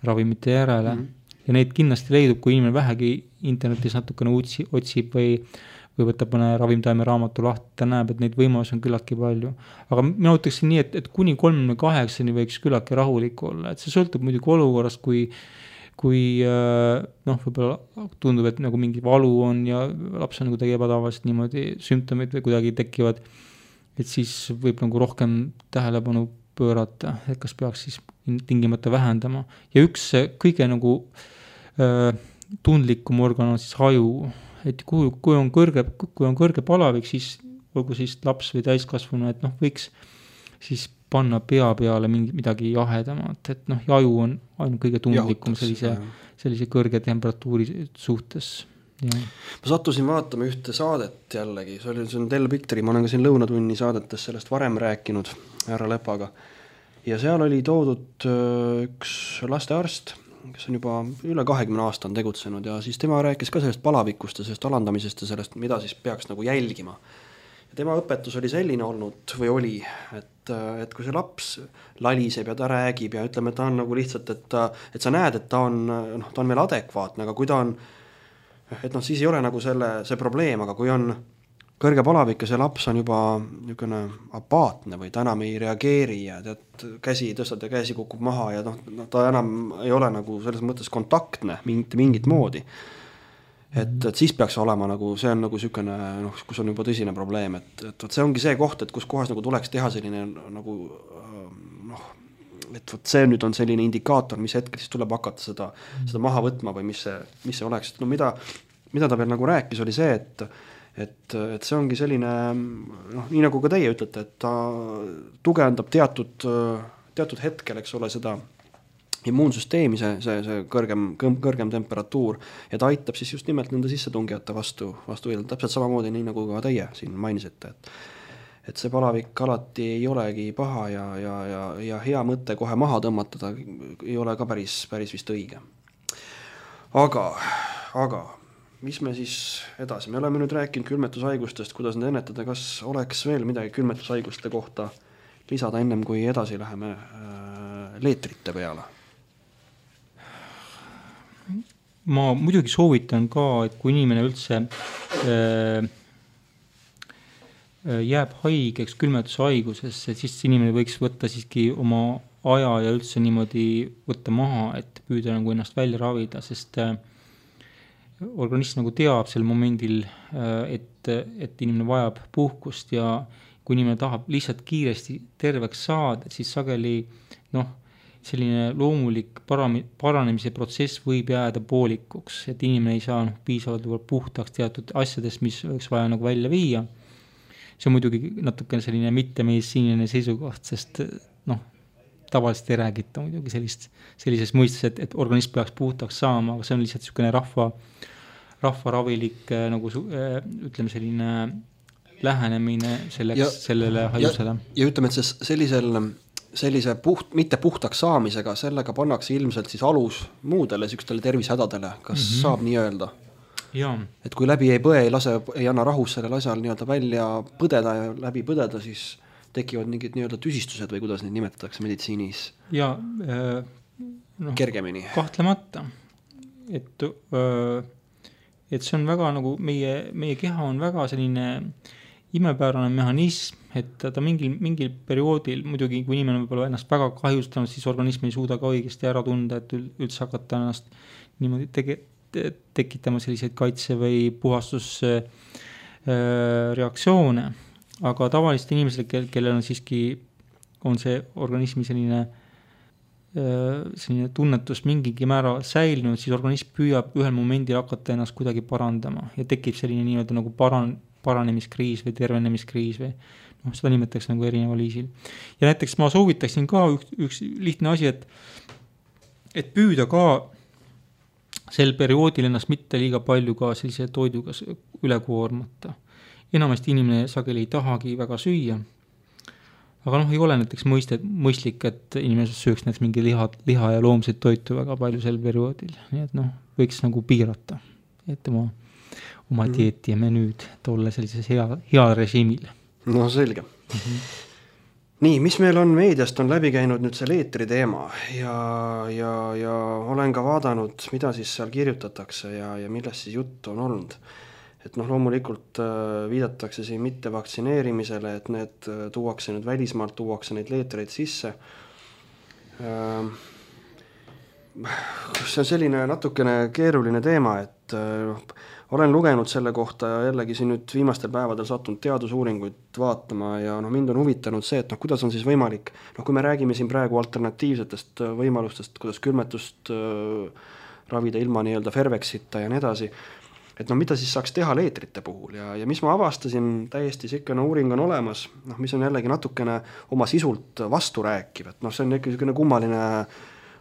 ravimite järele. Ja neid kindlasti leidub, kui inimene vähegi internetis natukene otsib või võtab mõne ravimtaime raamatu lahti, ta näeb, et neid võimalusi on küllaltki palju. Aga mina ütleksin nii, et kuni 38-ni võiks küllaltki rahulik olla, et see sõltub muidugi olukorrast, kui võib-olla tundub, et nagu mingi valu on ja laps on nagu tegi ebatavast niimoodi sümptomid või kuidagi tekivad, et siis võib nagu rohkem tähelepanu pöörata, et kas peaks siis tingimata vähendama. Ja üks kõige nagu tundlikum organ on siis haju, et kui on kõrge palavik, siis olgu siis laps või täiskasvanu, et võiks siis panna pea peale midagi jahedamat, et haju on ainult kõige tundlikum sellise kõrge temperatuuri suhtes. Ja. Ma sattusin vaatama ühte saadet jällegi, see on Del Picturi, ma olen ka siin Lõunatunni saadetes sellest varem rääkinud härra Lepaga ja seal oli toodud üks lastearst, kes on juba üle 20 aasta on tegutsenud ja siis tema rääkis ka sellest palavikust ja sellest alandamisest ja sellest, mida siis peaks nagu jälgima. Ja tema õpetus oli selline olnud või oli, et kui see laps laliseb ja ta räägib ja ütleme, et ta on nagu lihtsalt, et sa näed, et ta on veel adekvaatne, aga kui ta on et siis ei ole nagu see probleem, aga kui on kõrge palavik ja see laps on juba niisugune apaatne või ta enam ei reageeri ja käsi tõstad ja käsi kukub maha ja ta enam ei ole nagu selles mõttes kontaktne mingit moodi. Et siis peaks olema nagu, see on nagu niisugune, kus on juba tõsine probleem, et see ongi see koht, et kus kohas nagu tuleks teha selline nagu et see nüüd on selline indikaator, mis hetkel siis tuleb hakata seda maha võtma või mis see oleks. Mida ta veel nagu rääkis, oli see, et see ongi selline, nii nagu ka teie ütlete, et ta tugevdab teatud hetkel, eks ole, seda immuunsüsteemi, see kõrgem temperatuur ja ta aitab siis just nimelt nende sissetungijate vastu võidelda. Täpselt samamoodi nii nagu ka teie siin mainisite, et see palavik alati ei olegi paha ja hea mõte kohe maha tõmmata, ta ei ole ka päris vist õige. Aga mis me siis edasi? Me oleme nüüd rääkinud külmetushaigustest, kuidas need ennetada, kas oleks veel midagi külmetushaiguste kohta lisada ennem, kui edasi läheme leetrite peale? Ma muidugi soovitan ka, et kui inimene üldse jääb haigeks külmetushaigusesse, siis inimene võiks võtta siiski oma aja ja üldse niimoodi võtta maha, et püüda nagu ennast välja ravida, sest organism nagu teab sel momendil, et inimene vajab puhkust ja kui inimene tahab lihtsalt kiiresti terveks saada, siis sageli selline loomulik paranemise protsess võib jääda poolikuks, et inimene ei saa piisavalt puhtaks teatud asjadest, mis võiks vaja nagu välja viia. See on muidugi natukene selline mittemeditsiiniline seisukoht, sest tavaliselt ei räägita muidugi sellises mõistes, et organism peaks puhtaks saama, aga see on lihtsalt niisugune rahvaravilik nagu ütleme selline lähenemine sellele haigusele. Ja ütleme, et sellise mitte puhtaks saamisega, sellega pannakse ilmselt siis alus muudele sükstele tervisehädadele, kas saab nii öelda? Ja. Et kui läbi ei põe, ei anna rahus sellel asjal nii-öelda välja põdeda ja läbi põdeda, siis tekivad mingid nii-öelda tüsistused või kuidas neid nimetatakse meditsiinis? Ja, kergemini. Kahtlemata. Et see on väga nagu meie keha on väga selline imepärane mehhanism, et ta mingil perioodil, muidugi kui inimene võib-olla ennast väga kahjustanud, siis organism ei suuda ka õigesti ära tunda, et üldse hakata ennast niimoodi tekitama selliseid kaitse- või puhastusreaktsioone. Aga tavaliste inimesele, kellel on siiski, on see organismi selline tunnetus mingigi määral säilinud, siis organism püüab ühel momendil hakata ennast kuidagi parandama ja tekib selline nii-öelda nagu paranemiskriis või tervenemiskriis või seda nimetatakse nagu erineva viisil. Ja näiteks ma soovitaksin ka üks lihtne asi, et püüda ka sel perioodil ennast mitte liiga palju ka sellise toiduga üle koormata. Enamasti inimene sageli ei tahagi väga süüa. Aga ei ole näiteks mõistlik, et inimene sööks näiteks mingi liha ja loomseid toitu väga palju sel perioodil. Nii et võiks nagu piirata, et oma dieeti ja menüüd tolle sellises hea režiimil. No selge. Nii, mis meil on meediast, on läbi käinud nüüd selle eetri teema ja olen ka vaadanud, mida siis seal kirjutatakse ja millest siis juttu on olnud. Et loomulikult viidatakse siin mitte vaktsineerimisele, et need tuuakse nüüd välismaalt, tuuakse neid leetreid sisse. See on selline natukene keeruline teema, et olen lugenud selle kohta ja jällegi siin nüüd viimastel päevadel sattunud teadusuuringuid vaatama ja mind on huvitanud see, et kuidas on siis võimalik, kui me räägime siin praegu alternatiivsetest võimalustest, kuidas külmetust ravida ilma nii-öelda Fervexita ja nii edasi, et mida siis saaks teha leetrite puhul ja mis ma avastasin, täiesti sikkene uuring on olemas, mis on jällegi natukene oma sisult vastu rääkiv, et see on ikka selline kummaline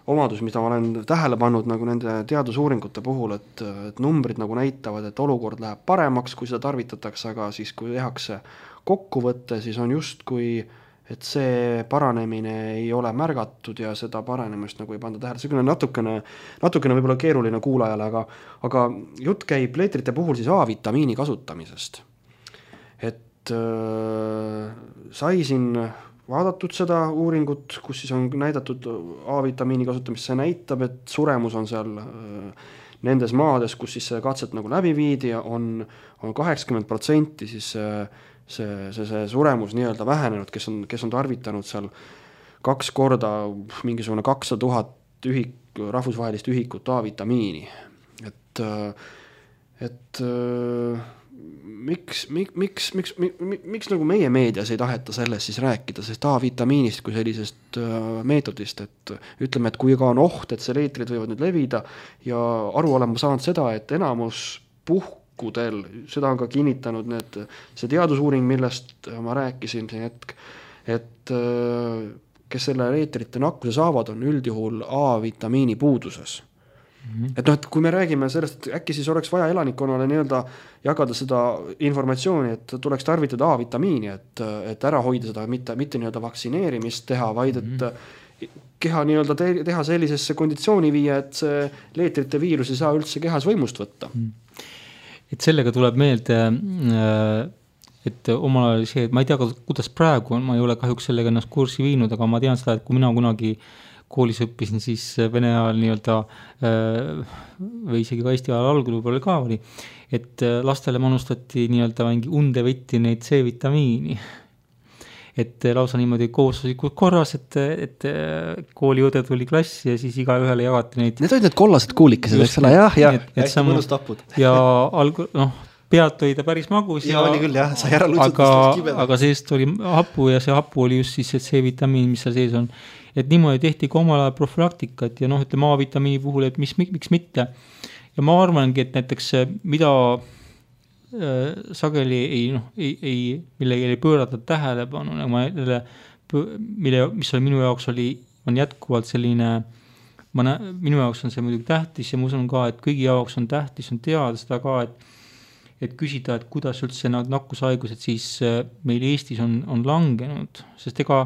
omadus, mida ma olen tähele pannud nagu nende teadusuuringute puhul, et numbrid nagu näitavad, et olukord läheb paremaks, kui seda tarvitatakse, aga siis kui tehakse kokkuvõtte, siis on just kui et see paranemine ei ole märgatud ja seda paranemist nagu ei panda tähele. See on natukene võib-olla keeruline kuulajale, aga jutt käib leetrite puhul siis A-vitamiini kasutamisest. Et sai siin vaadatud seda uuringut, kus siis on näidatud A-vitamiini kasutamist, see näitab, et suremus on seal nendes maades, kus siis see katset nagu läbi viidi ja on 80% siis see suremus nii-öelda vähenenud, kes on tarvitanud seal 2 korda mingisugune 200 000 rahvusvahelist ühikut A-vitamiini. Et miks nagu meie meedias ei taheta sellest siis rääkida, sest A-vitamiinist kui sellisest meetodist, et ütleme, et kui ka on oht, et see leetrid võivad nüüd levida ja aru olema saanud seda, et enamus seda on ka kinnitanud see teadusuuring, millest ma rääkisin see hetk, et kes selle leetrite nakkuse saavad, on üldjuhul A-vitamiini puuduses. Et kui me räägime sellest, et äkki siis oleks vaja elanikkonnale nii-öelda jagada seda informatsiooni, et tuleks tarvitada A-vitamiini, et ära hoida seda, mitte nii-öelda vaktsineerimist teha, vaid et keha nii-öelda teha sellisesse konditsiooni viia, et see leetrite viirus ei saa üldse kehas võimust võtta. Et sellega tuleb meelde, et omal ajal see, et ma ei tea, kuidas praegu on, ma ei ole kahjuks sellega ennast kursi viinud, aga ma tean seda, et kui mina kunagi koolis õppisin, siis Vene ajal nii-öelda või isegi ka Eesti ajal algul võib-olla ka oli, et lastele manustati nii-öelda mingi unde võtti neid C-vitamiini. Et lausa niimoodi koosluslikult korras, et kooliõde tuli klassi ja siis igaühele jagati neid. Need olid need kollased kuulikesed, eks ole, jah, hästi mõnus tapud. Ja pealt oli ta päris magus. Ja oli küll, jah, sai ära lutsutustest kibeda. Aga seest oli hapu ja see hapu oli just siis see C-vitamiin, mis seal sees on. Et niimoodi tehti ka omal ajal profülaktikat ja ütleme A-vitamiini puhul, et miks mitte. Ja ma arvangi, et näiteks mida sageli millega ei pöörata tähelepanu, mis oli minu jaoks on jätkuvalt selline, minu jaoks on see muidugi tähtis ja ma usun ka, et kõigi jaoks on tähtis on teada seda ka, et küsida, et kuidas üldse need nakkushaigused siis meil Eestis on langenud, sest ega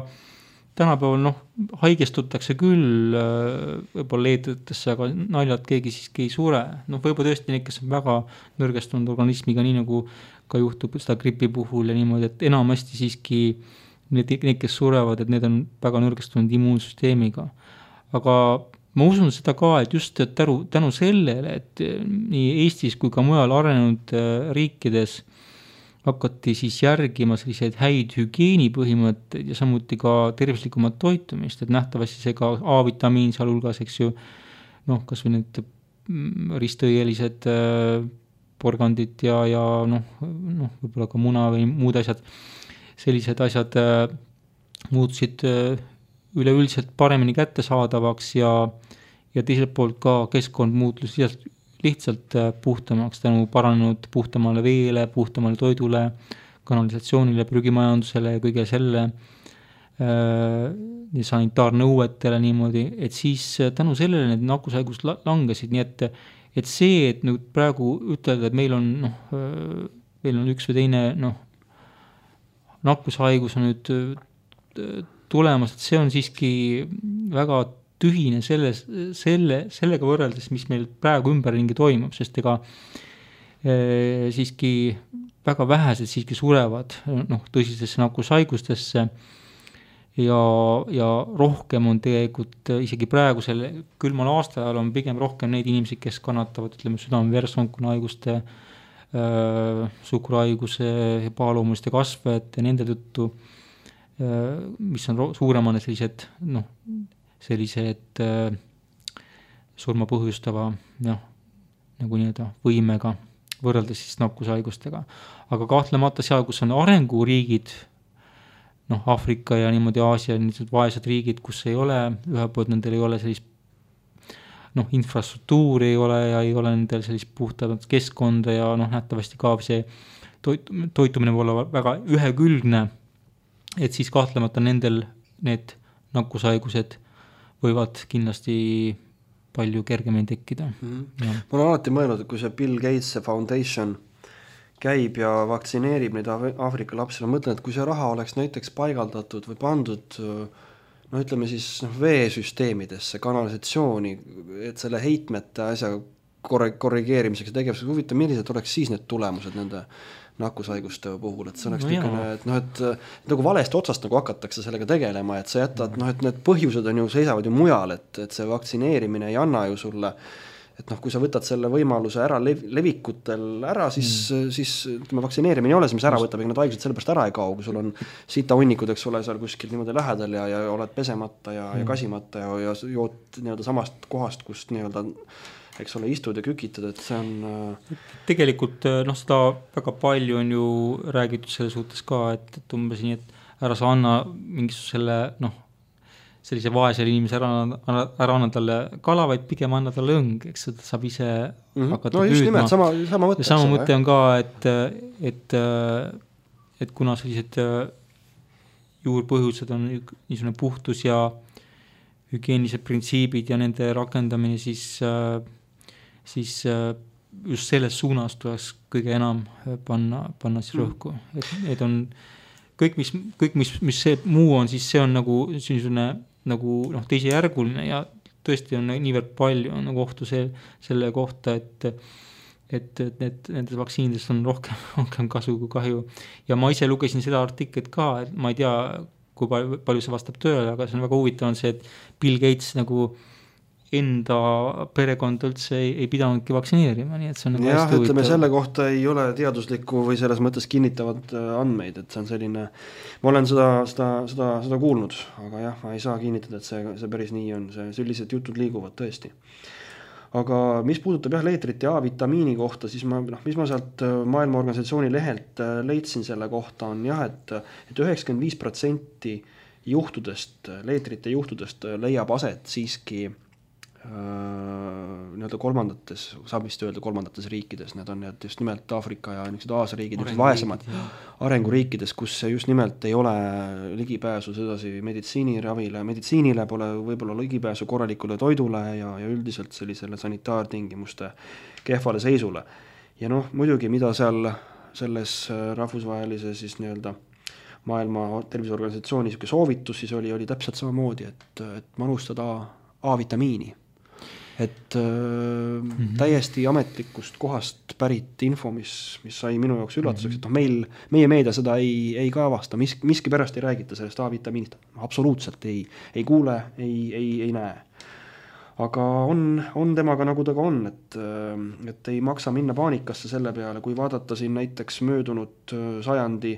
tänapäeval haigestutakse küll võib-olla leetritesse, aga naljalt keegi siiski ei sure. Võib-olla tõesti need, kes on väga nõrgestunud organismiga, nii nagu ka juhtub seda gripi puhul ja niimoodi, et enamasti siiski need, kes surevad, et need on väga nõrgestunud immuunsüsteemiga. Aga ma usun seda ka, et just tänu sellele, et nii Eestis kui ka mujal arenenud riikides hakati siis järgima selliseid häid hügieenipõhimõtteid ja samuti ka tervislikumat toitumist, et nähtavasti see ka A-vitamiin sealhulgas, eks ju, noh, kas või need ristõielised porgandid ja võib-olla ka muna või muud asjad, sellised asjad muutusid üleüldiselt paremini kättesaadavaks ja teiselt poolt ka keskkond muutus lihtsalt puhtamaks tänu paranenud puhtamale veele, puhtamale toidule, kanalisatsioonile, prügimajandusele ja kõige selle sanitaarnõuetele niimoodi, et siis tänu sellele need nakkushaigus langesid, nii et see, et nüüd praegu ütelda, et meil on üks või teine nakkushaigus on nüüd tulemas, et see on siiski väga tühine sellega võrreldes, mis meil praegu ümberringi toimub, sest ega siiski väga vähesed siiski surevad tõsisesse nakkushaigustesse ja rohkem on tegelikult isegi praegusel külmal aastaajal on pigem rohkem neid inimesi, kes kannatavad, ütleme, südame-veresoonkonna haiguste, suhkruhaiguse, paalumuliste kasvajate, nende tõttu, mis on suuremane sellised surma põhjustava nagu nii-öelda võimega võrreldes siis nakkushaigustega. Aga kahtlemata seal, kus on arenguriigid, Aafrika ja niimoodi Aasia, niisugused vaesed riigid, kus ei ole, ühe poolt nendel ei ole sellist infrastruktuuri ei ole ja ei ole nendel sellist puhtamat keskkonda ja nähtavasti ka see toitumine võib olla väga ühekülgne, et siis kahtlemata nendel need nakkushaigused võivad kindlasti palju kergemini tekkida. Ma olen alati mõelnud, et kui see Bill Gates Foundation käib ja vaktsineerib neid Aafrika lapsi, mõtlen, et kui see raha oleks näiteks paigaldatud või pandud ütleme siis veesüsteemidesse, kanalisatsiooni, et selle heitmete asja korrigeerimiseks ja tegevuseks, huvitav, millised oleks siis need tulemused nende nakkushaiguste puhul, et see oleks et nagu valest otsast nagu hakatakse sellega tegelema, et sa jätad, et need põhjused on ju, seisavad ju mujal, et see vaktsineerimine ei anna ju sulle, et kui sa võtad selle võimaluse ära levikutel ära, siis kui me vaktsineerimine ei ole, siis mis ära võtab, ega need haigused sellepärast ära ei kao, kui sul on sitahunnikud, eks ole, seal kuskil niimoodi lähedal ja oled pesemata ja kasimata ja jood nii-öelda samast kohast, kust nii-öelda eks ole, istud ja kükitad, et see on tegelikult seda väga palju on ju räägitud selle suhtes ka, et umbes nii, et ära sa anna mingisugusele sellise vaesele inimese ära anna talle kala, vaid pigem anna talle õng, eks seda saab ise hakata püüdma. Sama mõte. Sama mõte on ka, et kuna sellised juurpõhjused on niisugune puhtus ja hügieenilised printsiibid ja nende rakendamine, siis just selles suunas tuleks kõige enam panna siis rõhku. Et on kõik, mis see muu on, siis see on nagu teisejärguline ja tõesti on niivõrd palju on nagu ohtu selle kohta, et nendes vaktsiinidest on rohkem kasu kui kahju. Ja ma ise lugesin seda artiklit ka, et ma ei tea, kui palju see vastab tööle, aga see on väga huvitav on see, et Bill Gates nagu enda perekond üldse ei pidanudki vaktsineerima, nii et see on nagu hästi huvitav. Ütleme, selle kohta ei ole teaduslikku või selles mõttes kinnitavad andmeid, et see on selline, ma olen seda kuulnud, aga jah, ma ei saa kinnitada, et see päris nii on, sellised jutud liiguvad tõesti. Aga mis puudutab leetrit ja A-vitamiini kohta, siis mis ma sealt Maailma Organisatsiooni lehelt leidsin selle kohta on jah, et 95% juhtudest, leetrite juhtudest leiab aset siiski nii-öelda kolmandates, saab vist öelda kolmandates riikides, need on just nimelt Aafrika ja Aasia riigid, vaesemad arenguriikides, kus just nimelt ei ole ligipääsu sedasi meditsiinile pole võib-olla ligipääsu korralikule toidule ja üldiselt sellisele sanitaartingimuste kehvale seisule. Ja muidugi, mida seal selles rahvusvahelise siis nii-öelda Maailma Terviseorganisatsiooni soovitus siis oli täpselt samamoodi, et manustada A-vitamiini. Et täiesti ametlikust kohast pärit info, mis sai minu jaoks üllatuseks, et meie meedia seda ei kaavasta, miski pärast ei räägita sellest A-vitamiinist, absoluutselt ei kuule, ei näe. aga on temaga nagu ta ka on, et ei maksa minna paanikasse selle peale, kui vaadata siin näiteks möödunud sajandi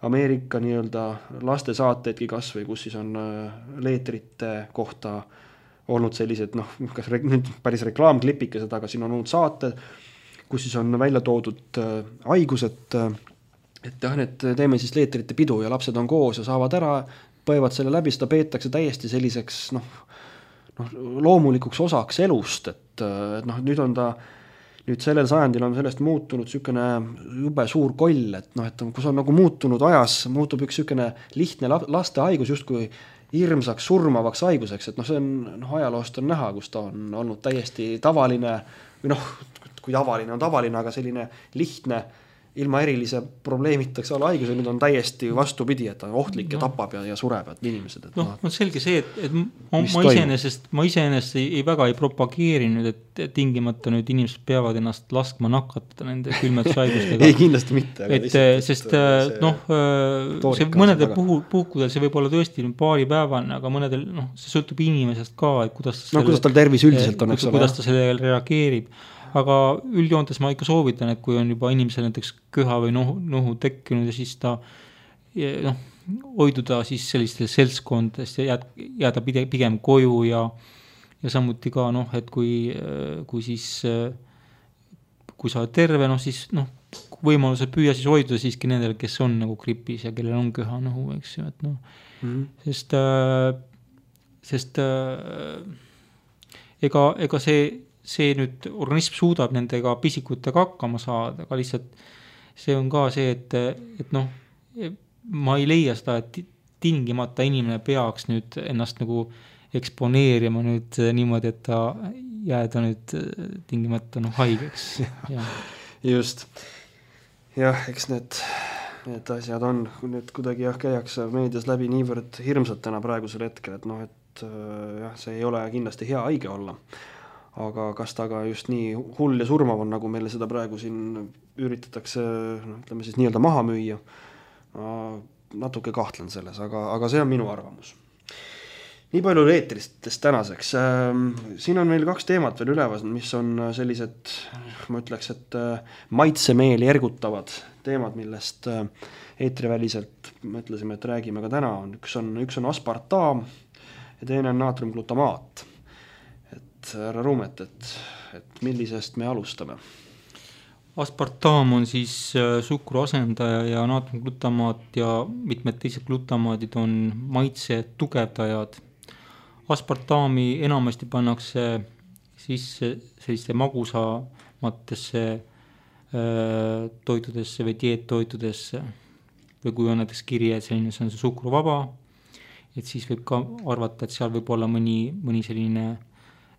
Ameerika nii-öelda lastesaateidki kas või, kus siis on leetrite kohta olnud sellised, kas nüüd päris reklaamklipikesed, aga siin on olnud saated, kus siis on välja toodud haigused, et jah, need teeme siis leetrite pidu ja lapsed on koos ja saavad ära, põevad selle läbi, seda peetakse täiesti selliseks loomulikuks osaks elust, et nüüd sellel sajandil on sellest muutunud niisugune jube suur koll, et kus on nagu muutunud ajas, muutub üks niisugune lihtne laste haigus justkui hirmsaks surmavaks haiguseks, et see on ajaloost on näha, kus ta on olnud täiesti tavaline või kui tavaline on tavaline, aga selline lihtne ilma erilise probleemitaks olla haigus ja nüüd on täiesti vastupidi, et ta on ohtlik ja tapab ja sureb inimesed. On selge see, et ma iseenesest ei väga ei propageerinud, et tingimata nüüd inimesed peavad ennast laskma nakatada nende külmetushaigustega. Ei, kindlasti mitte. Sest see mõnedel puhkudel see võib olla tõesti paaripäevane, aga mõnedel see sõltub inimesest ka, et kuidas tal tervis üldiselt on, kuidas ta sellele reageerib. Aga üldjoontes ma ikka soovitan, et kui on juba inimesel näiteks köha või nohu tekkinud ja siis ta hoiduda siis sellistest seltskondadest ja jääda pigem koju ja samuti ka, et kui sa oled terve, siis võimalusel püüa siis hoiduda siiski nendel, kes on nagu gripis ja kellel on köha nohu, eks ju, et sest ega see nüüd organism suudab nendega pisikutega hakkama saada, aga lihtsalt see on ka see, et ma ei leia seda, et tingimata inimene peaks nüüd ennast nagu eksponeerima nüüd niimoodi, et ta jääda nüüd tingimata haigeks. Just. Jah, eks need asjad on, nüüd kuidagi käiakse meedias läbi niivõrd hirmsatena praegusel hetkel, et see ei ole kindlasti hea haige olla. Aga kas ta ka just nii hull ja surmav on, nagu meile seda praegu siin üritatakse, ütleme siis nii-öelda maha müüa, natuke kahtlen selles, aga see on minu arvamus. Nii palju eetristest tänaseks. Siin on meil 2 teemat veel üleval, mis on sellised, ma ütleks, et maitsemeeli ergutavad teemad, millest eetriväliselt mõtlesime, et räägime ka täna. Üks on aspartaam ja teine on naatriumglutamaat. Härra Ruumet, et millisest me alustame? Aspartaam on siis suhkruasendaja ja naatriumglutamaat ja mitmed teised glutamaadid on maitse tugevdajad. Aspartaami enamasti pannakse sisse selliste magusamatesse toitudesse või dieettoitudesse või kui on näiteks kirje, et selline see on see suhkruvaba, et siis võib ka arvata, et seal võib olla mõni selline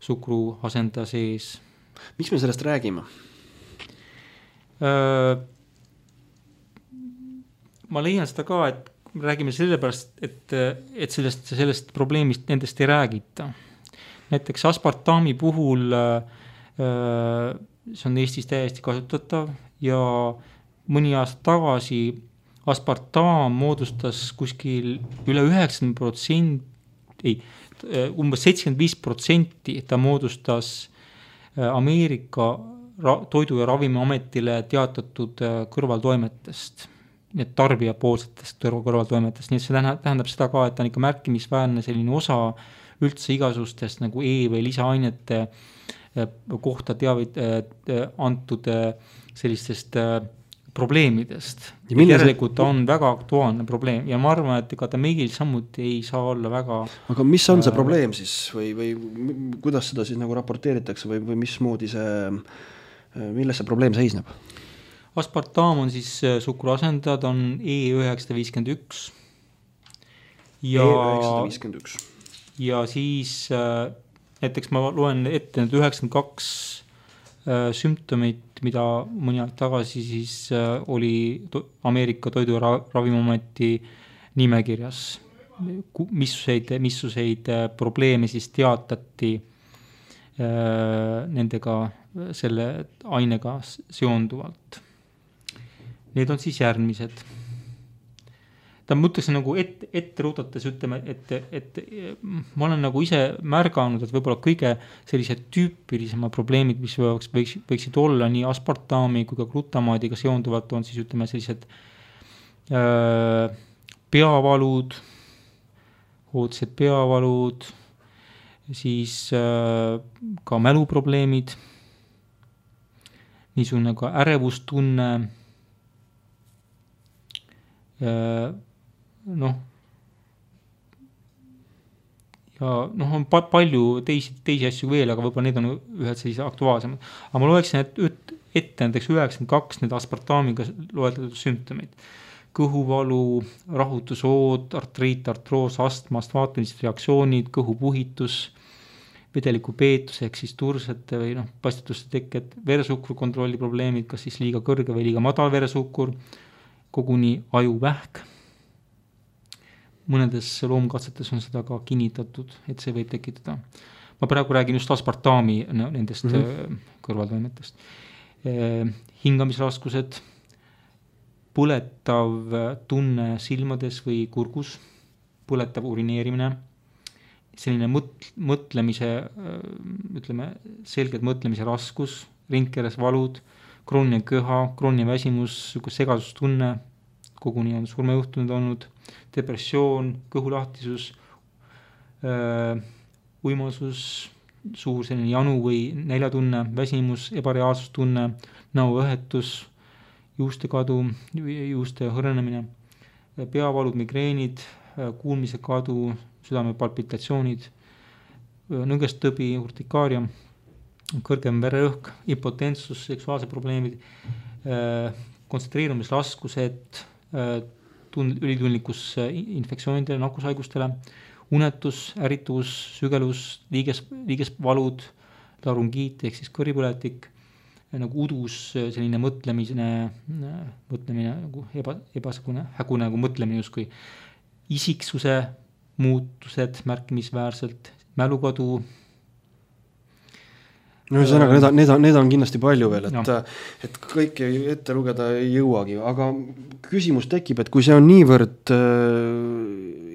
suhkru asendaja sees. Miks me sellest räägime? Ma leian seda ka, et räägime sellepärast, et sellest probleemist nendest ei räägita. Näiteks aspartaami puhul see on Eestis täiesti kasutatav ja mõni aasta tagasi aspartaam moodustas kuskil üle 90%, umbes 75% ta moodustas Ameerika toidu- ja ravimiametile teatatud kõrvaltoimetest, need tarbijapoolsetest kõrvaltoimetest, nii et see tähendab seda ka, et ta on ikka märkimisväärne selline osa üldse igasustest nagu või lisaainete kohta antud sellistest probleemidest. Tegelikult on väga aktuaalne probleem ja ma arvan, et ega ta meil samuti ei saa olla väga... Aga mis on see probleem siis või kuidas seda siis nagu raporteeritakse või mismoodi milles see probleem seisneb? Aspartaam on siis suhkruasendaja, ta on E951 E951 ja siis näiteks ma loen ette need 92 sümptomid, mida mõni aeg tagasi siis oli Ameerika toidu- ja ravimiameti nimekirjas. Missuseid probleeme siis teatati nendega, selle ainega seonduvalt. Need on siis järgmised. ta mõtleksin nagu ette rutates ütleme, et ma olen nagu ise märganud, et võib-olla kõige sellised tüüpilisema probleemid, mis võiksid olla nii aspartami kui ka glutamaadiga seonduvalt, on siis ütleme sellised peavalud, ootsed peavalud, siis ka mäluprobleemid, niisugune ka ärevustunne, noh, ja noh, on palju teisi asju veel, aga võib-olla need on ühed sellise aktuaalsemad. Aga ma loeksin ette näiteks 92 need aspartamiga loetletud sümptomid. Kõhuvalu, rahutusood, artriit, artroos, astma, astmaatilised reaktsioonid, kõhupuhitus, vedeliku peetus ehk siis tursete või noh, pastituste tekked, veresukru kontrolli probleemid, kas siis liiga kõrge või liiga madal veresukur, koguni ajuvähk. Mõnedes loomkatsetes on seda ka kinnitatud, et see võib tekitada. Ma praegu räägin just aspartami nendest kõrvaltoimetest. Hingamisraskused, põletav tunne silmades või kurgus, põletav urineerimine, selline mõtlemise, ütleme, selged mõtlemise raskus, rindkeres valud, krooniline köha, krooniline väsimus, segadustunne, koguni on surmejuhtunud olnud, depressioon, kõhulahtisus, uimasus, suur selline janu või näljatunne, väsimus, ebareaalsustunne, näoõhetus, juuste kadu, juuste hõrenemine, peavalud, migreenid, kuulmise kadu, südame palpitatsioonid, nõgestõbi, urtikaaria, kõrgem vererõhk, impotentsus, seksuaalsed probleemid, kontsentreerumisraskused, ülitundlikkus infektsioonidele, nakkushaigustele, unetus, ärrituvus, sügelus, liigesvalud, larüngiit ehk siis kõripõletik, nagu udus, selline mõtlemine nagu ebasegune, hägune nagu mõtlemine justkui, isiksuse muutused märkimisväärselt, mälukadu. No ühesõnaga, need on kindlasti palju veel, et kõike ette lugeda ei jõuagi, aga küsimus tekib, et kui see on niivõrd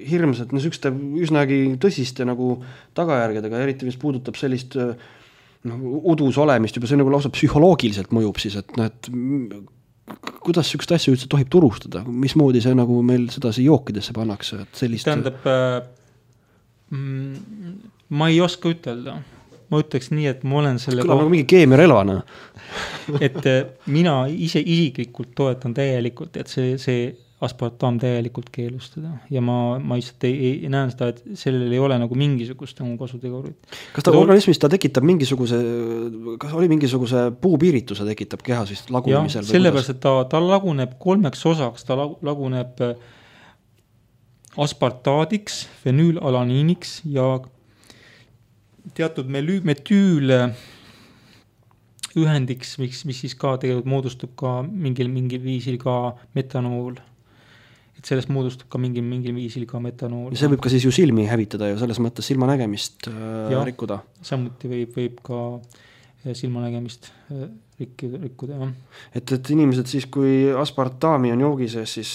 hirmsat, niisuguste üsnagi tõsiste nagu tagajärgedega, eriti mis puudutab sellist udus olemist, juba see nagu lausa psühholoogiliselt mõjub siis, et et kuidas niisugust asja üldse tohib turustada, mismoodi see nagu meil sedasi jookidesse pannakse, et sellist... Tähendab, ma ei oska ütelda. Ma ütleks nii, et ma olen selle... Kõlab nagu mingi keemiarelvana. Et mina isiklikult toetan täielikult, et see aspartam täielikult keelustada. Ja ma lihtsalt ei näen seda, et sellel ei ole nagu mingisugust nagu kasutegurit. Kas ta organismis ta tekitab mingisuguse, kas oli mingisuguse puupiirituse tekitab kehas vist lagunemisel? Jah, sellepärast, et ta laguneb 3 osaks, ta laguneb aspartaadiks, fenüülalaniiniks ja teatud metüül ühendiks, mis siis ka tegelikult moodustub ka mingil viisil ka metanool. Et sellest moodustub ka mingil viisil ka metanool. Ja see võib ka siis ju silmi hävitada ja selles mõttes silmanägemist rikkuda. Samuti võib ka silmanägemist rikkuda. Ja. Et inimesed siis, kui aspartami on joogi sees, siis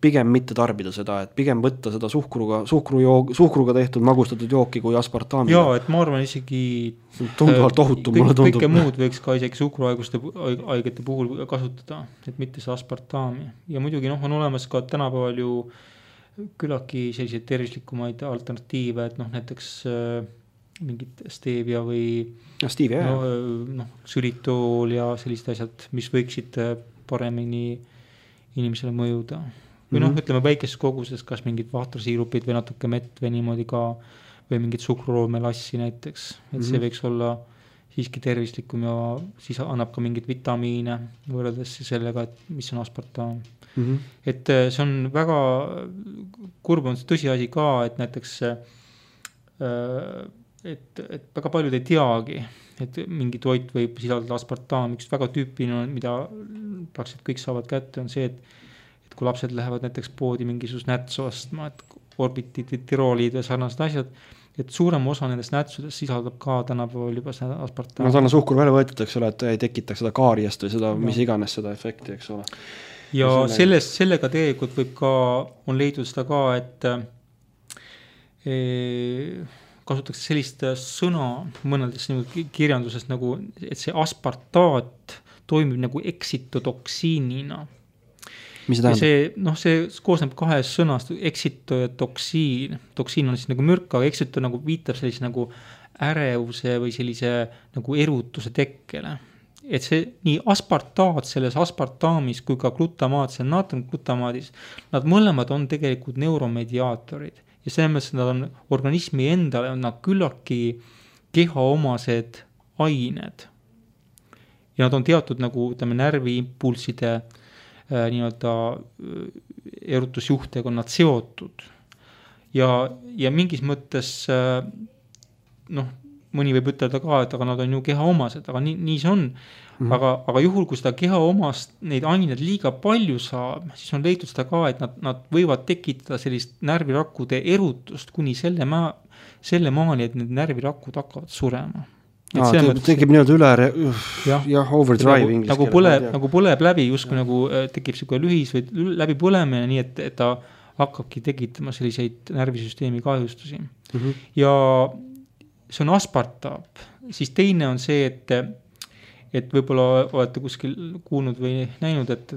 pigem mitte tarbida seda, et pigem võtta seda suhkruga tehtud magustatud jooki kui aspartami. Jaa, et ma arvan isegi tunduvalt ohutum, mulle tundub. Kõike muud võiks ka isegi suhkruhaigete puhul kasutada, et mitte see aspartami. Ja muidugi on olemas ka tänapäeval ju küllaltki selliseid tervislikumaid alternatiive, et näiteks mingit stevia või ksülitool ja sellised asjad, mis võiksid paremini inimesele mõjuda. Või ütleme väikeses koguses, kas mingid vahtrasiirupid või natuke mett või niimoodi ka, või mingid suhkruroomelassi näiteks, et see võiks olla siiski tervislikum ja siis annab ka mingid vitamiine võrreldes sellega, et mis on aspartam. Et see on väga kurb on see tõsiasi ka, et näiteks et väga paljud ei teagi, et mingi toit võib sisaldada aspartam. Üks väga tüüpiline, mida praktiliselt kõik saavad kätte, on see, et kui lapsed lähevad näiteks poodi mingisugust nätsu ostma, et orbitid või tiroolid või sarnased asjad, et suurem osa nendest nätsudest sisaldab ka tänapäeval juba seda aspartam. Suhkur välja võetud, eks ole, et ei tekitaks seda kaariast või seda, mis iganes seda efekti, eks ole. ja sellega tegelikult võib ka, on leidnud seda ka, et kasutatakse sellist sõna mõnedes kirjanduses nagu, et see aspartaat toimib nagu eksitotoksiinina. Mis see tähendab? See koosneb 2 sõnast, eksito ja toksiin. Toksiin on siis nagu mürk, aga eksito nagu viitab sellise nagu ärevuse või sellise nagu erutuse tekkele. Et see nii aspartaat selles aspartaamis kui ka glutamaat, see naatriumglutamaadis, nad mõlemad on tegelikult neuromediaatorid. Ja selles mõttes nad on organismi endale, on nad küllaki kehaomased ained. Ja nad on teatud nagu närviimpulside nii-öelda erutusjuhtega on nad seotud ja mingis mõttes mõni võib ütelda ka, et aga nad on ju kehaomased, aga nii see on. Aga juhul, kui seda kehaomast neid ained liiga palju saab, siis on leitud seda ka, et nad võivad tekitada sellist närvirakkude erutust kuni selle maani, et need närvirakud hakkavad surema. Tekib nii-öelda overdrive nagu põleb läbi, justkui nagu tekib selline lühis või läbi põlemine, nii et ta hakkabki tekitama selliseid närvisüsteemi kahjustusi. Ja see on aspartaap. Siis teine on see, et võib-olla olete kuskil kuulnud või näinud, et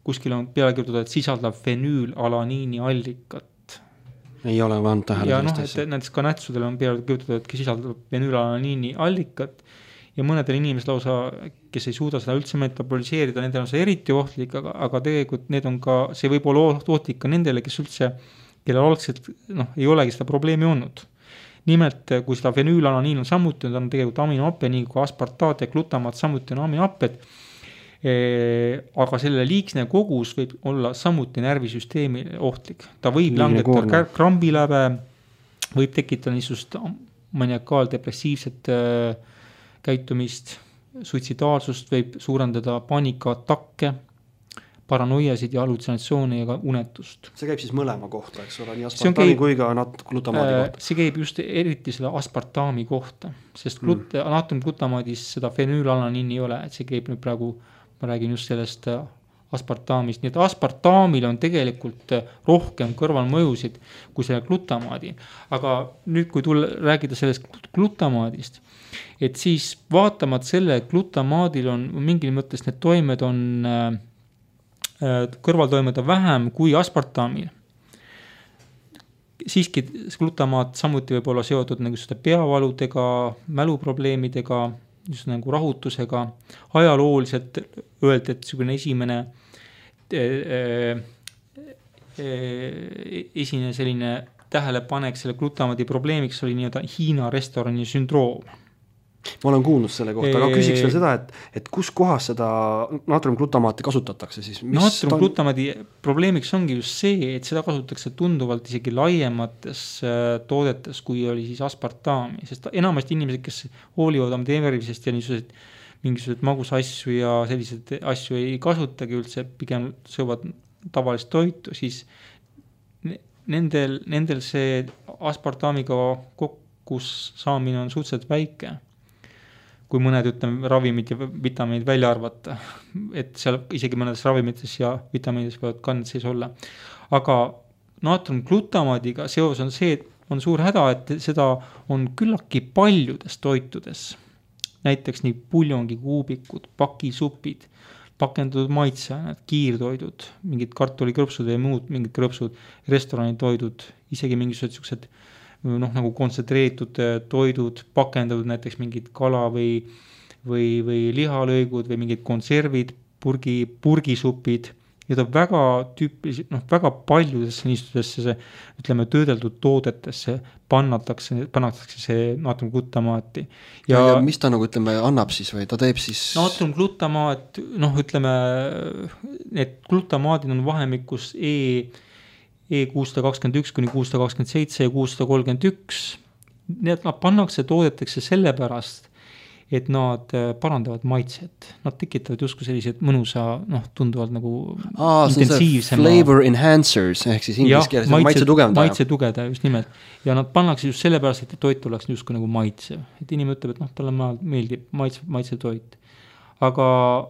kuskil on peale kirjutatud, et sisaldab fenüülalaniini allikat. Ei ole vaan tähele. Ja näiteks ka nätsudel on peale kirjutatud, et sisaldab fenüülalaniini allikat ja mõnedel inimesel lausa, kes ei suuda seda üldse metaboliseerida, nendel on see eriti ohtlik, aga tegelikult need on ka, see võib olla ohtlik ka nendele, kes üldse, kellel algselt ei olegi seda probleemi olnud. Nimelt, kui seda fenüülalaniin on samuti, on tegelikult aminohappe, nii kui aspartaat ja glutamaat samuti on aminohapped, aga selle liigsne kogus võib olla samuti närvisüsteemi ohtlik. Ta võib langetada krambiläbe, võib tekitada niisugust maniakaaldepressiivset käitumist, suitsidaalsust, võib suurendada paanikaatakke, paranoiasid ja halutsinatsioone ja ka unetust. See käib siis mõlema kohta, eks ole, nii aspartaami kui ka glutamaadi kohta. See käib just eriti selle aspartaami kohta, sest naatriumglutamaadis seda fenüülalaniini ei ole, et see käib nüüd praegu, ma räägin just sellest aspartaamist, nii et aspartaamil on tegelikult rohkem kõrvalmõjusid kui selle glutamaadi. Aga nüüd, kui räägida sellest glutamaadist, et siis vaatamat selle glutamaadil on mingil mõttes need toimed on kõrvaltoimed on vähem kui aspartaamil. Siiski glutamaat samuti võib olla seotud nagu peavaludega, mäluprobleemidega, just nagu rahutusega. Ajalooliselt öeldi, et selline esimene selline tähelepanek selle glutamaadi probleemiks oli nii-öelda Hiina restorani sündroom. Ma olen kuulnud selle kohta, aga küsiks veel seda, et kus kohas seda naatriumglutamaati kasutatakse siis? Naatriumglutamaadi probleemiks ongi just see, et seda kasutatakse tunduvalt isegi laiemates toodetes, kui oli siis aspartaami, sest enamasti inimesed, kes hoolivad oma tervisest ja mingisugused magusasju ja sellised asju ei kasutagi üldse, pigem söövad tavalist toitu, siis nendel see aspartaamiga kokkus saamine on suhteliselt väike. Kui mõned ravimid ja vitamiinid välja arvata, et seal isegi mõnedes ravimites ja vitamiinides võivad kanned sees olla. Aga naatriumglutamaadiga seos on see, et on suur häda, et seda on küllaki paljudes toitudes. Näiteks nii puljongikuubikud, pakisupid, pakendatud maitseained, kiirtoidud, mingid kartulikrõpsud ja muud mingid krõpsud, restoranitoidud, isegi mingisugused nagu kontsentreeritud toidud, pakendatud näiteks mingid kala või lihalõigud või mingid konservid, purgisupid. Need on väga tüüpiliselt, väga paljudesse niisugusesse, ütleme, töödeldud toodetesse pannakse see naatriumglutamaati. Ja mis ta nagu, ütleme, annab siis või ta teeb siis? Naatriumglutamaat, ütleme, need glutamaadid on vahemikus E621 kuni 627 ja 631. Need pannakse toodetesse sellepärast, et nad parandavad maitset. Nad tekitavad justkui sellised mõnusa, tunduvalt nagu intensiivsema. Flavor enhancers, ehk siis inglise keeles maitse tugevdaja. Maitse tugevdaja, just nimelt. Ja nad pannakse just sellepärast, et toit oleks justkui nagu maitsev. Et inimene ütleb, et talle meeldib maitse toit. aga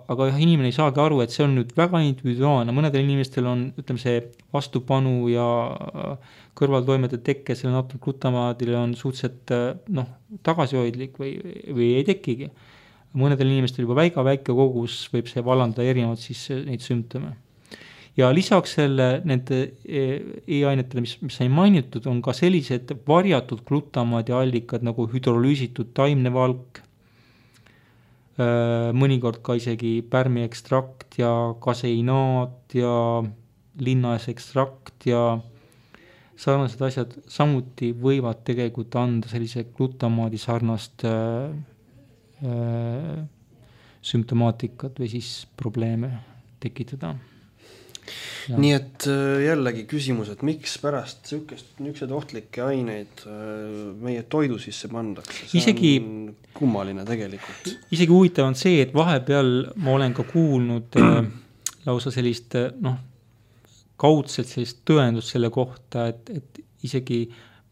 jah, inimene ei saagi aru, et see on nüüd väga individuaalne, mõnedel inimestel on, ütleme, see vastupanu ja kõrvaltoimede tekke selle natriumglutamaadile on suhteliselt tagasihoidlik või ei tekigi. Mõnedel inimestel juba väike kogus võib see vallandada erinevad siis neid sümptome. Ja lisaks nende e-ainetele, mis sai mainitud, on ka sellised varjatud glutamaadi allikad nagu hüdrolüüsitud taimne valk, mõnikord ka isegi pärmiekstrakt ja kaseinaat ja linnasekstrakt ja sarnased asjad samuti võivad tegelikult anda sellise glutamaadi sarnast sümptomaatikat või siis probleeme tekitada. Ja. Nii et jällegi küsimus, et miks pärast niisugused ohtlikke aineid meie toidu sisse pandakse, see isegi, on kummaline tegelikult. Isegi huvitav on see, et vahepeal ma olen ka kuulnud lausa sellist kaudselt sellist tõendust selle kohta, et isegi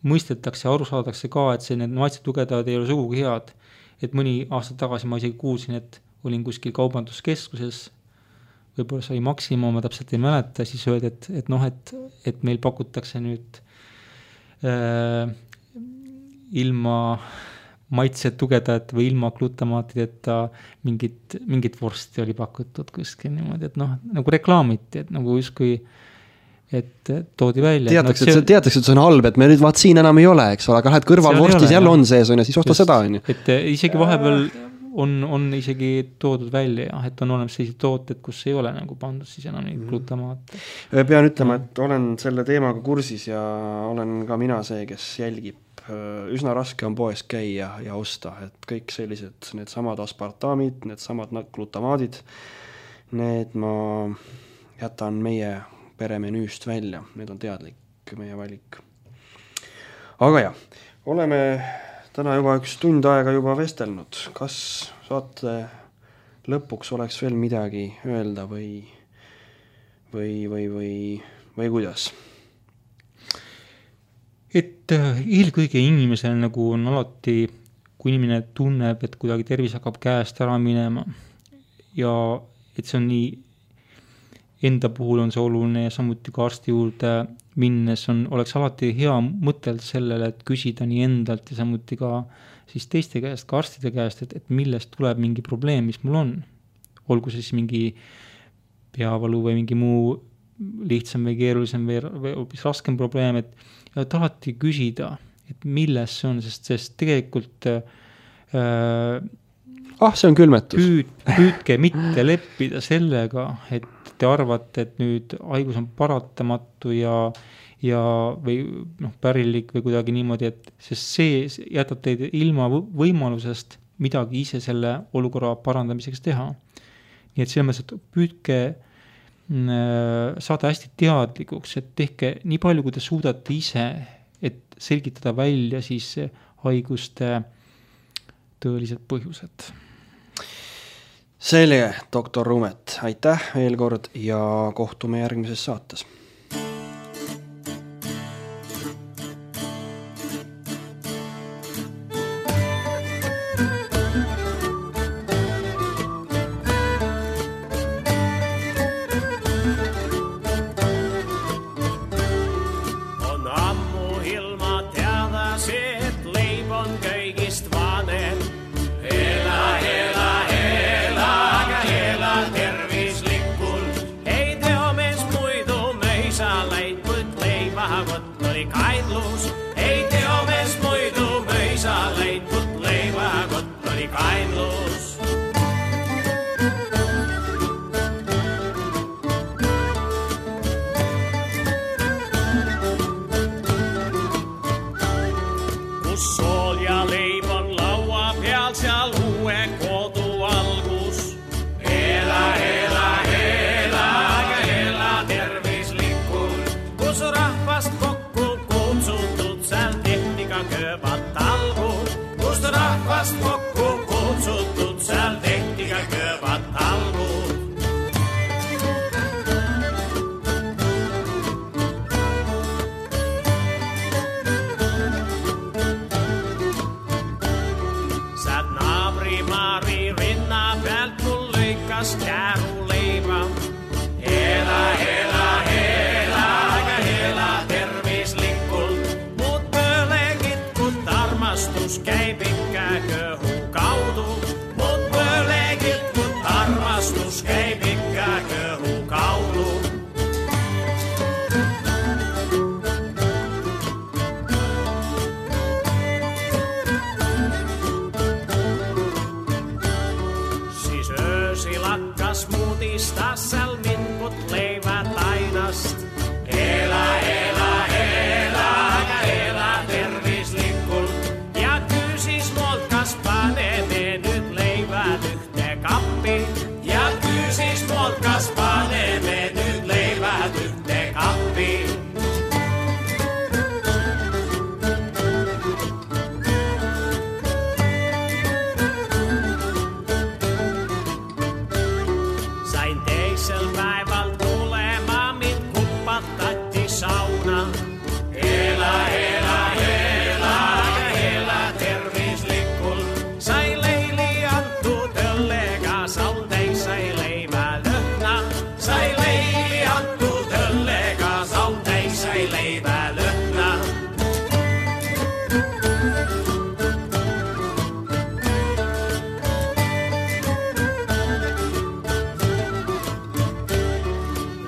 mõistetakse ja aru saadakse ka, et need maitsetugevdajad ei ole sugugi head. Et mõni aasta tagasi ma isegi kuulsin, et olin kuskil kaubanduskeskuses, võib-olla sai Maxima, ma täpselt ei mäleta, siis öeldi, et meil pakutakse nüüd ilma maitsetugevdajat või ilma glutamaatideta mingit vorsti oli pakutud kuskil niimoodi, et nagu reklaamiti, et nagu justkui et toodi välja. Teatakse, et see on halb, et me nüüd siin enam ei ole, eks ole, aga lähed kõrvalvorstis jälle on sees, ja siis osta seda. Et isegi vahepeal on isegi toodud välja, et on olemas sellised tooted, kus ei ole nagu pandud siis enam neid glutamaate. Pean ütlema, et olen selle teemaga kursis ja olen ka mina see, kes jälgib. Üsna raske on poes käia ja osta, et kõik sellised, need samad aspartamid, need samad glutamaadid, need ma jätan meie peremenüüst välja, need on teadlik meie valik. Aga jah, oleme täna juba 1 tund aega juba vestelnud. Kas saate lõpuks oleks veel midagi öelda või kuidas? Et eelkõige inimesel nagu on alati, kui inimene tunneb, et kuidagi tervis hakkab käest ära minema ja et see on nii enda puhul on see oluline ja samuti ka arsti juurde minnes oleks alati hea mõtelda sellele, et küsida nii endalt ja samuti ka siis teiste käest, ka arstide käest, et millest tuleb mingi probleem, mis mul on. Olgu siis mingi peavalu või mingi muu lihtsam või keerulisem või hoopis raskem probleem, et alati küsida, et milles see on, sest tegelikult see on külmetus. Püüdke mitte leppida sellega, et te arvate, et nüüd haigus on paratamatu ja või pärilik või kuidagi niimoodi, et sest see jätab teid ilma võimalusest midagi ise selle olukorra parandamiseks teha. Nii et selles mõttes, et püüdke saada hästi teadlikuks, et tehke nii palju, kui te suudate ise, et selgitada välja siis haiguste tõelised põhjused. Selge, doktor Rumet, aitäh veel kord ja kohtume järgmises saates. Saat naabri Mari rinna pealt mul päivä löhnä.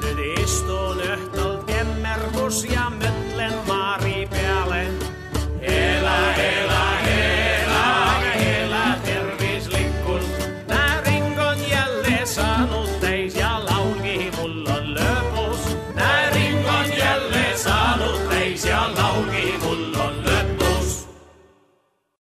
Nyt istun öhtol kemmermus ja mötlen maari peale. Elä, elä, elä, elä, tervislikkun. Nää ringon jälleen saanut teis ja laulki mulla on löpus. Nää ringon jälleen saanut teis ja laulki mulla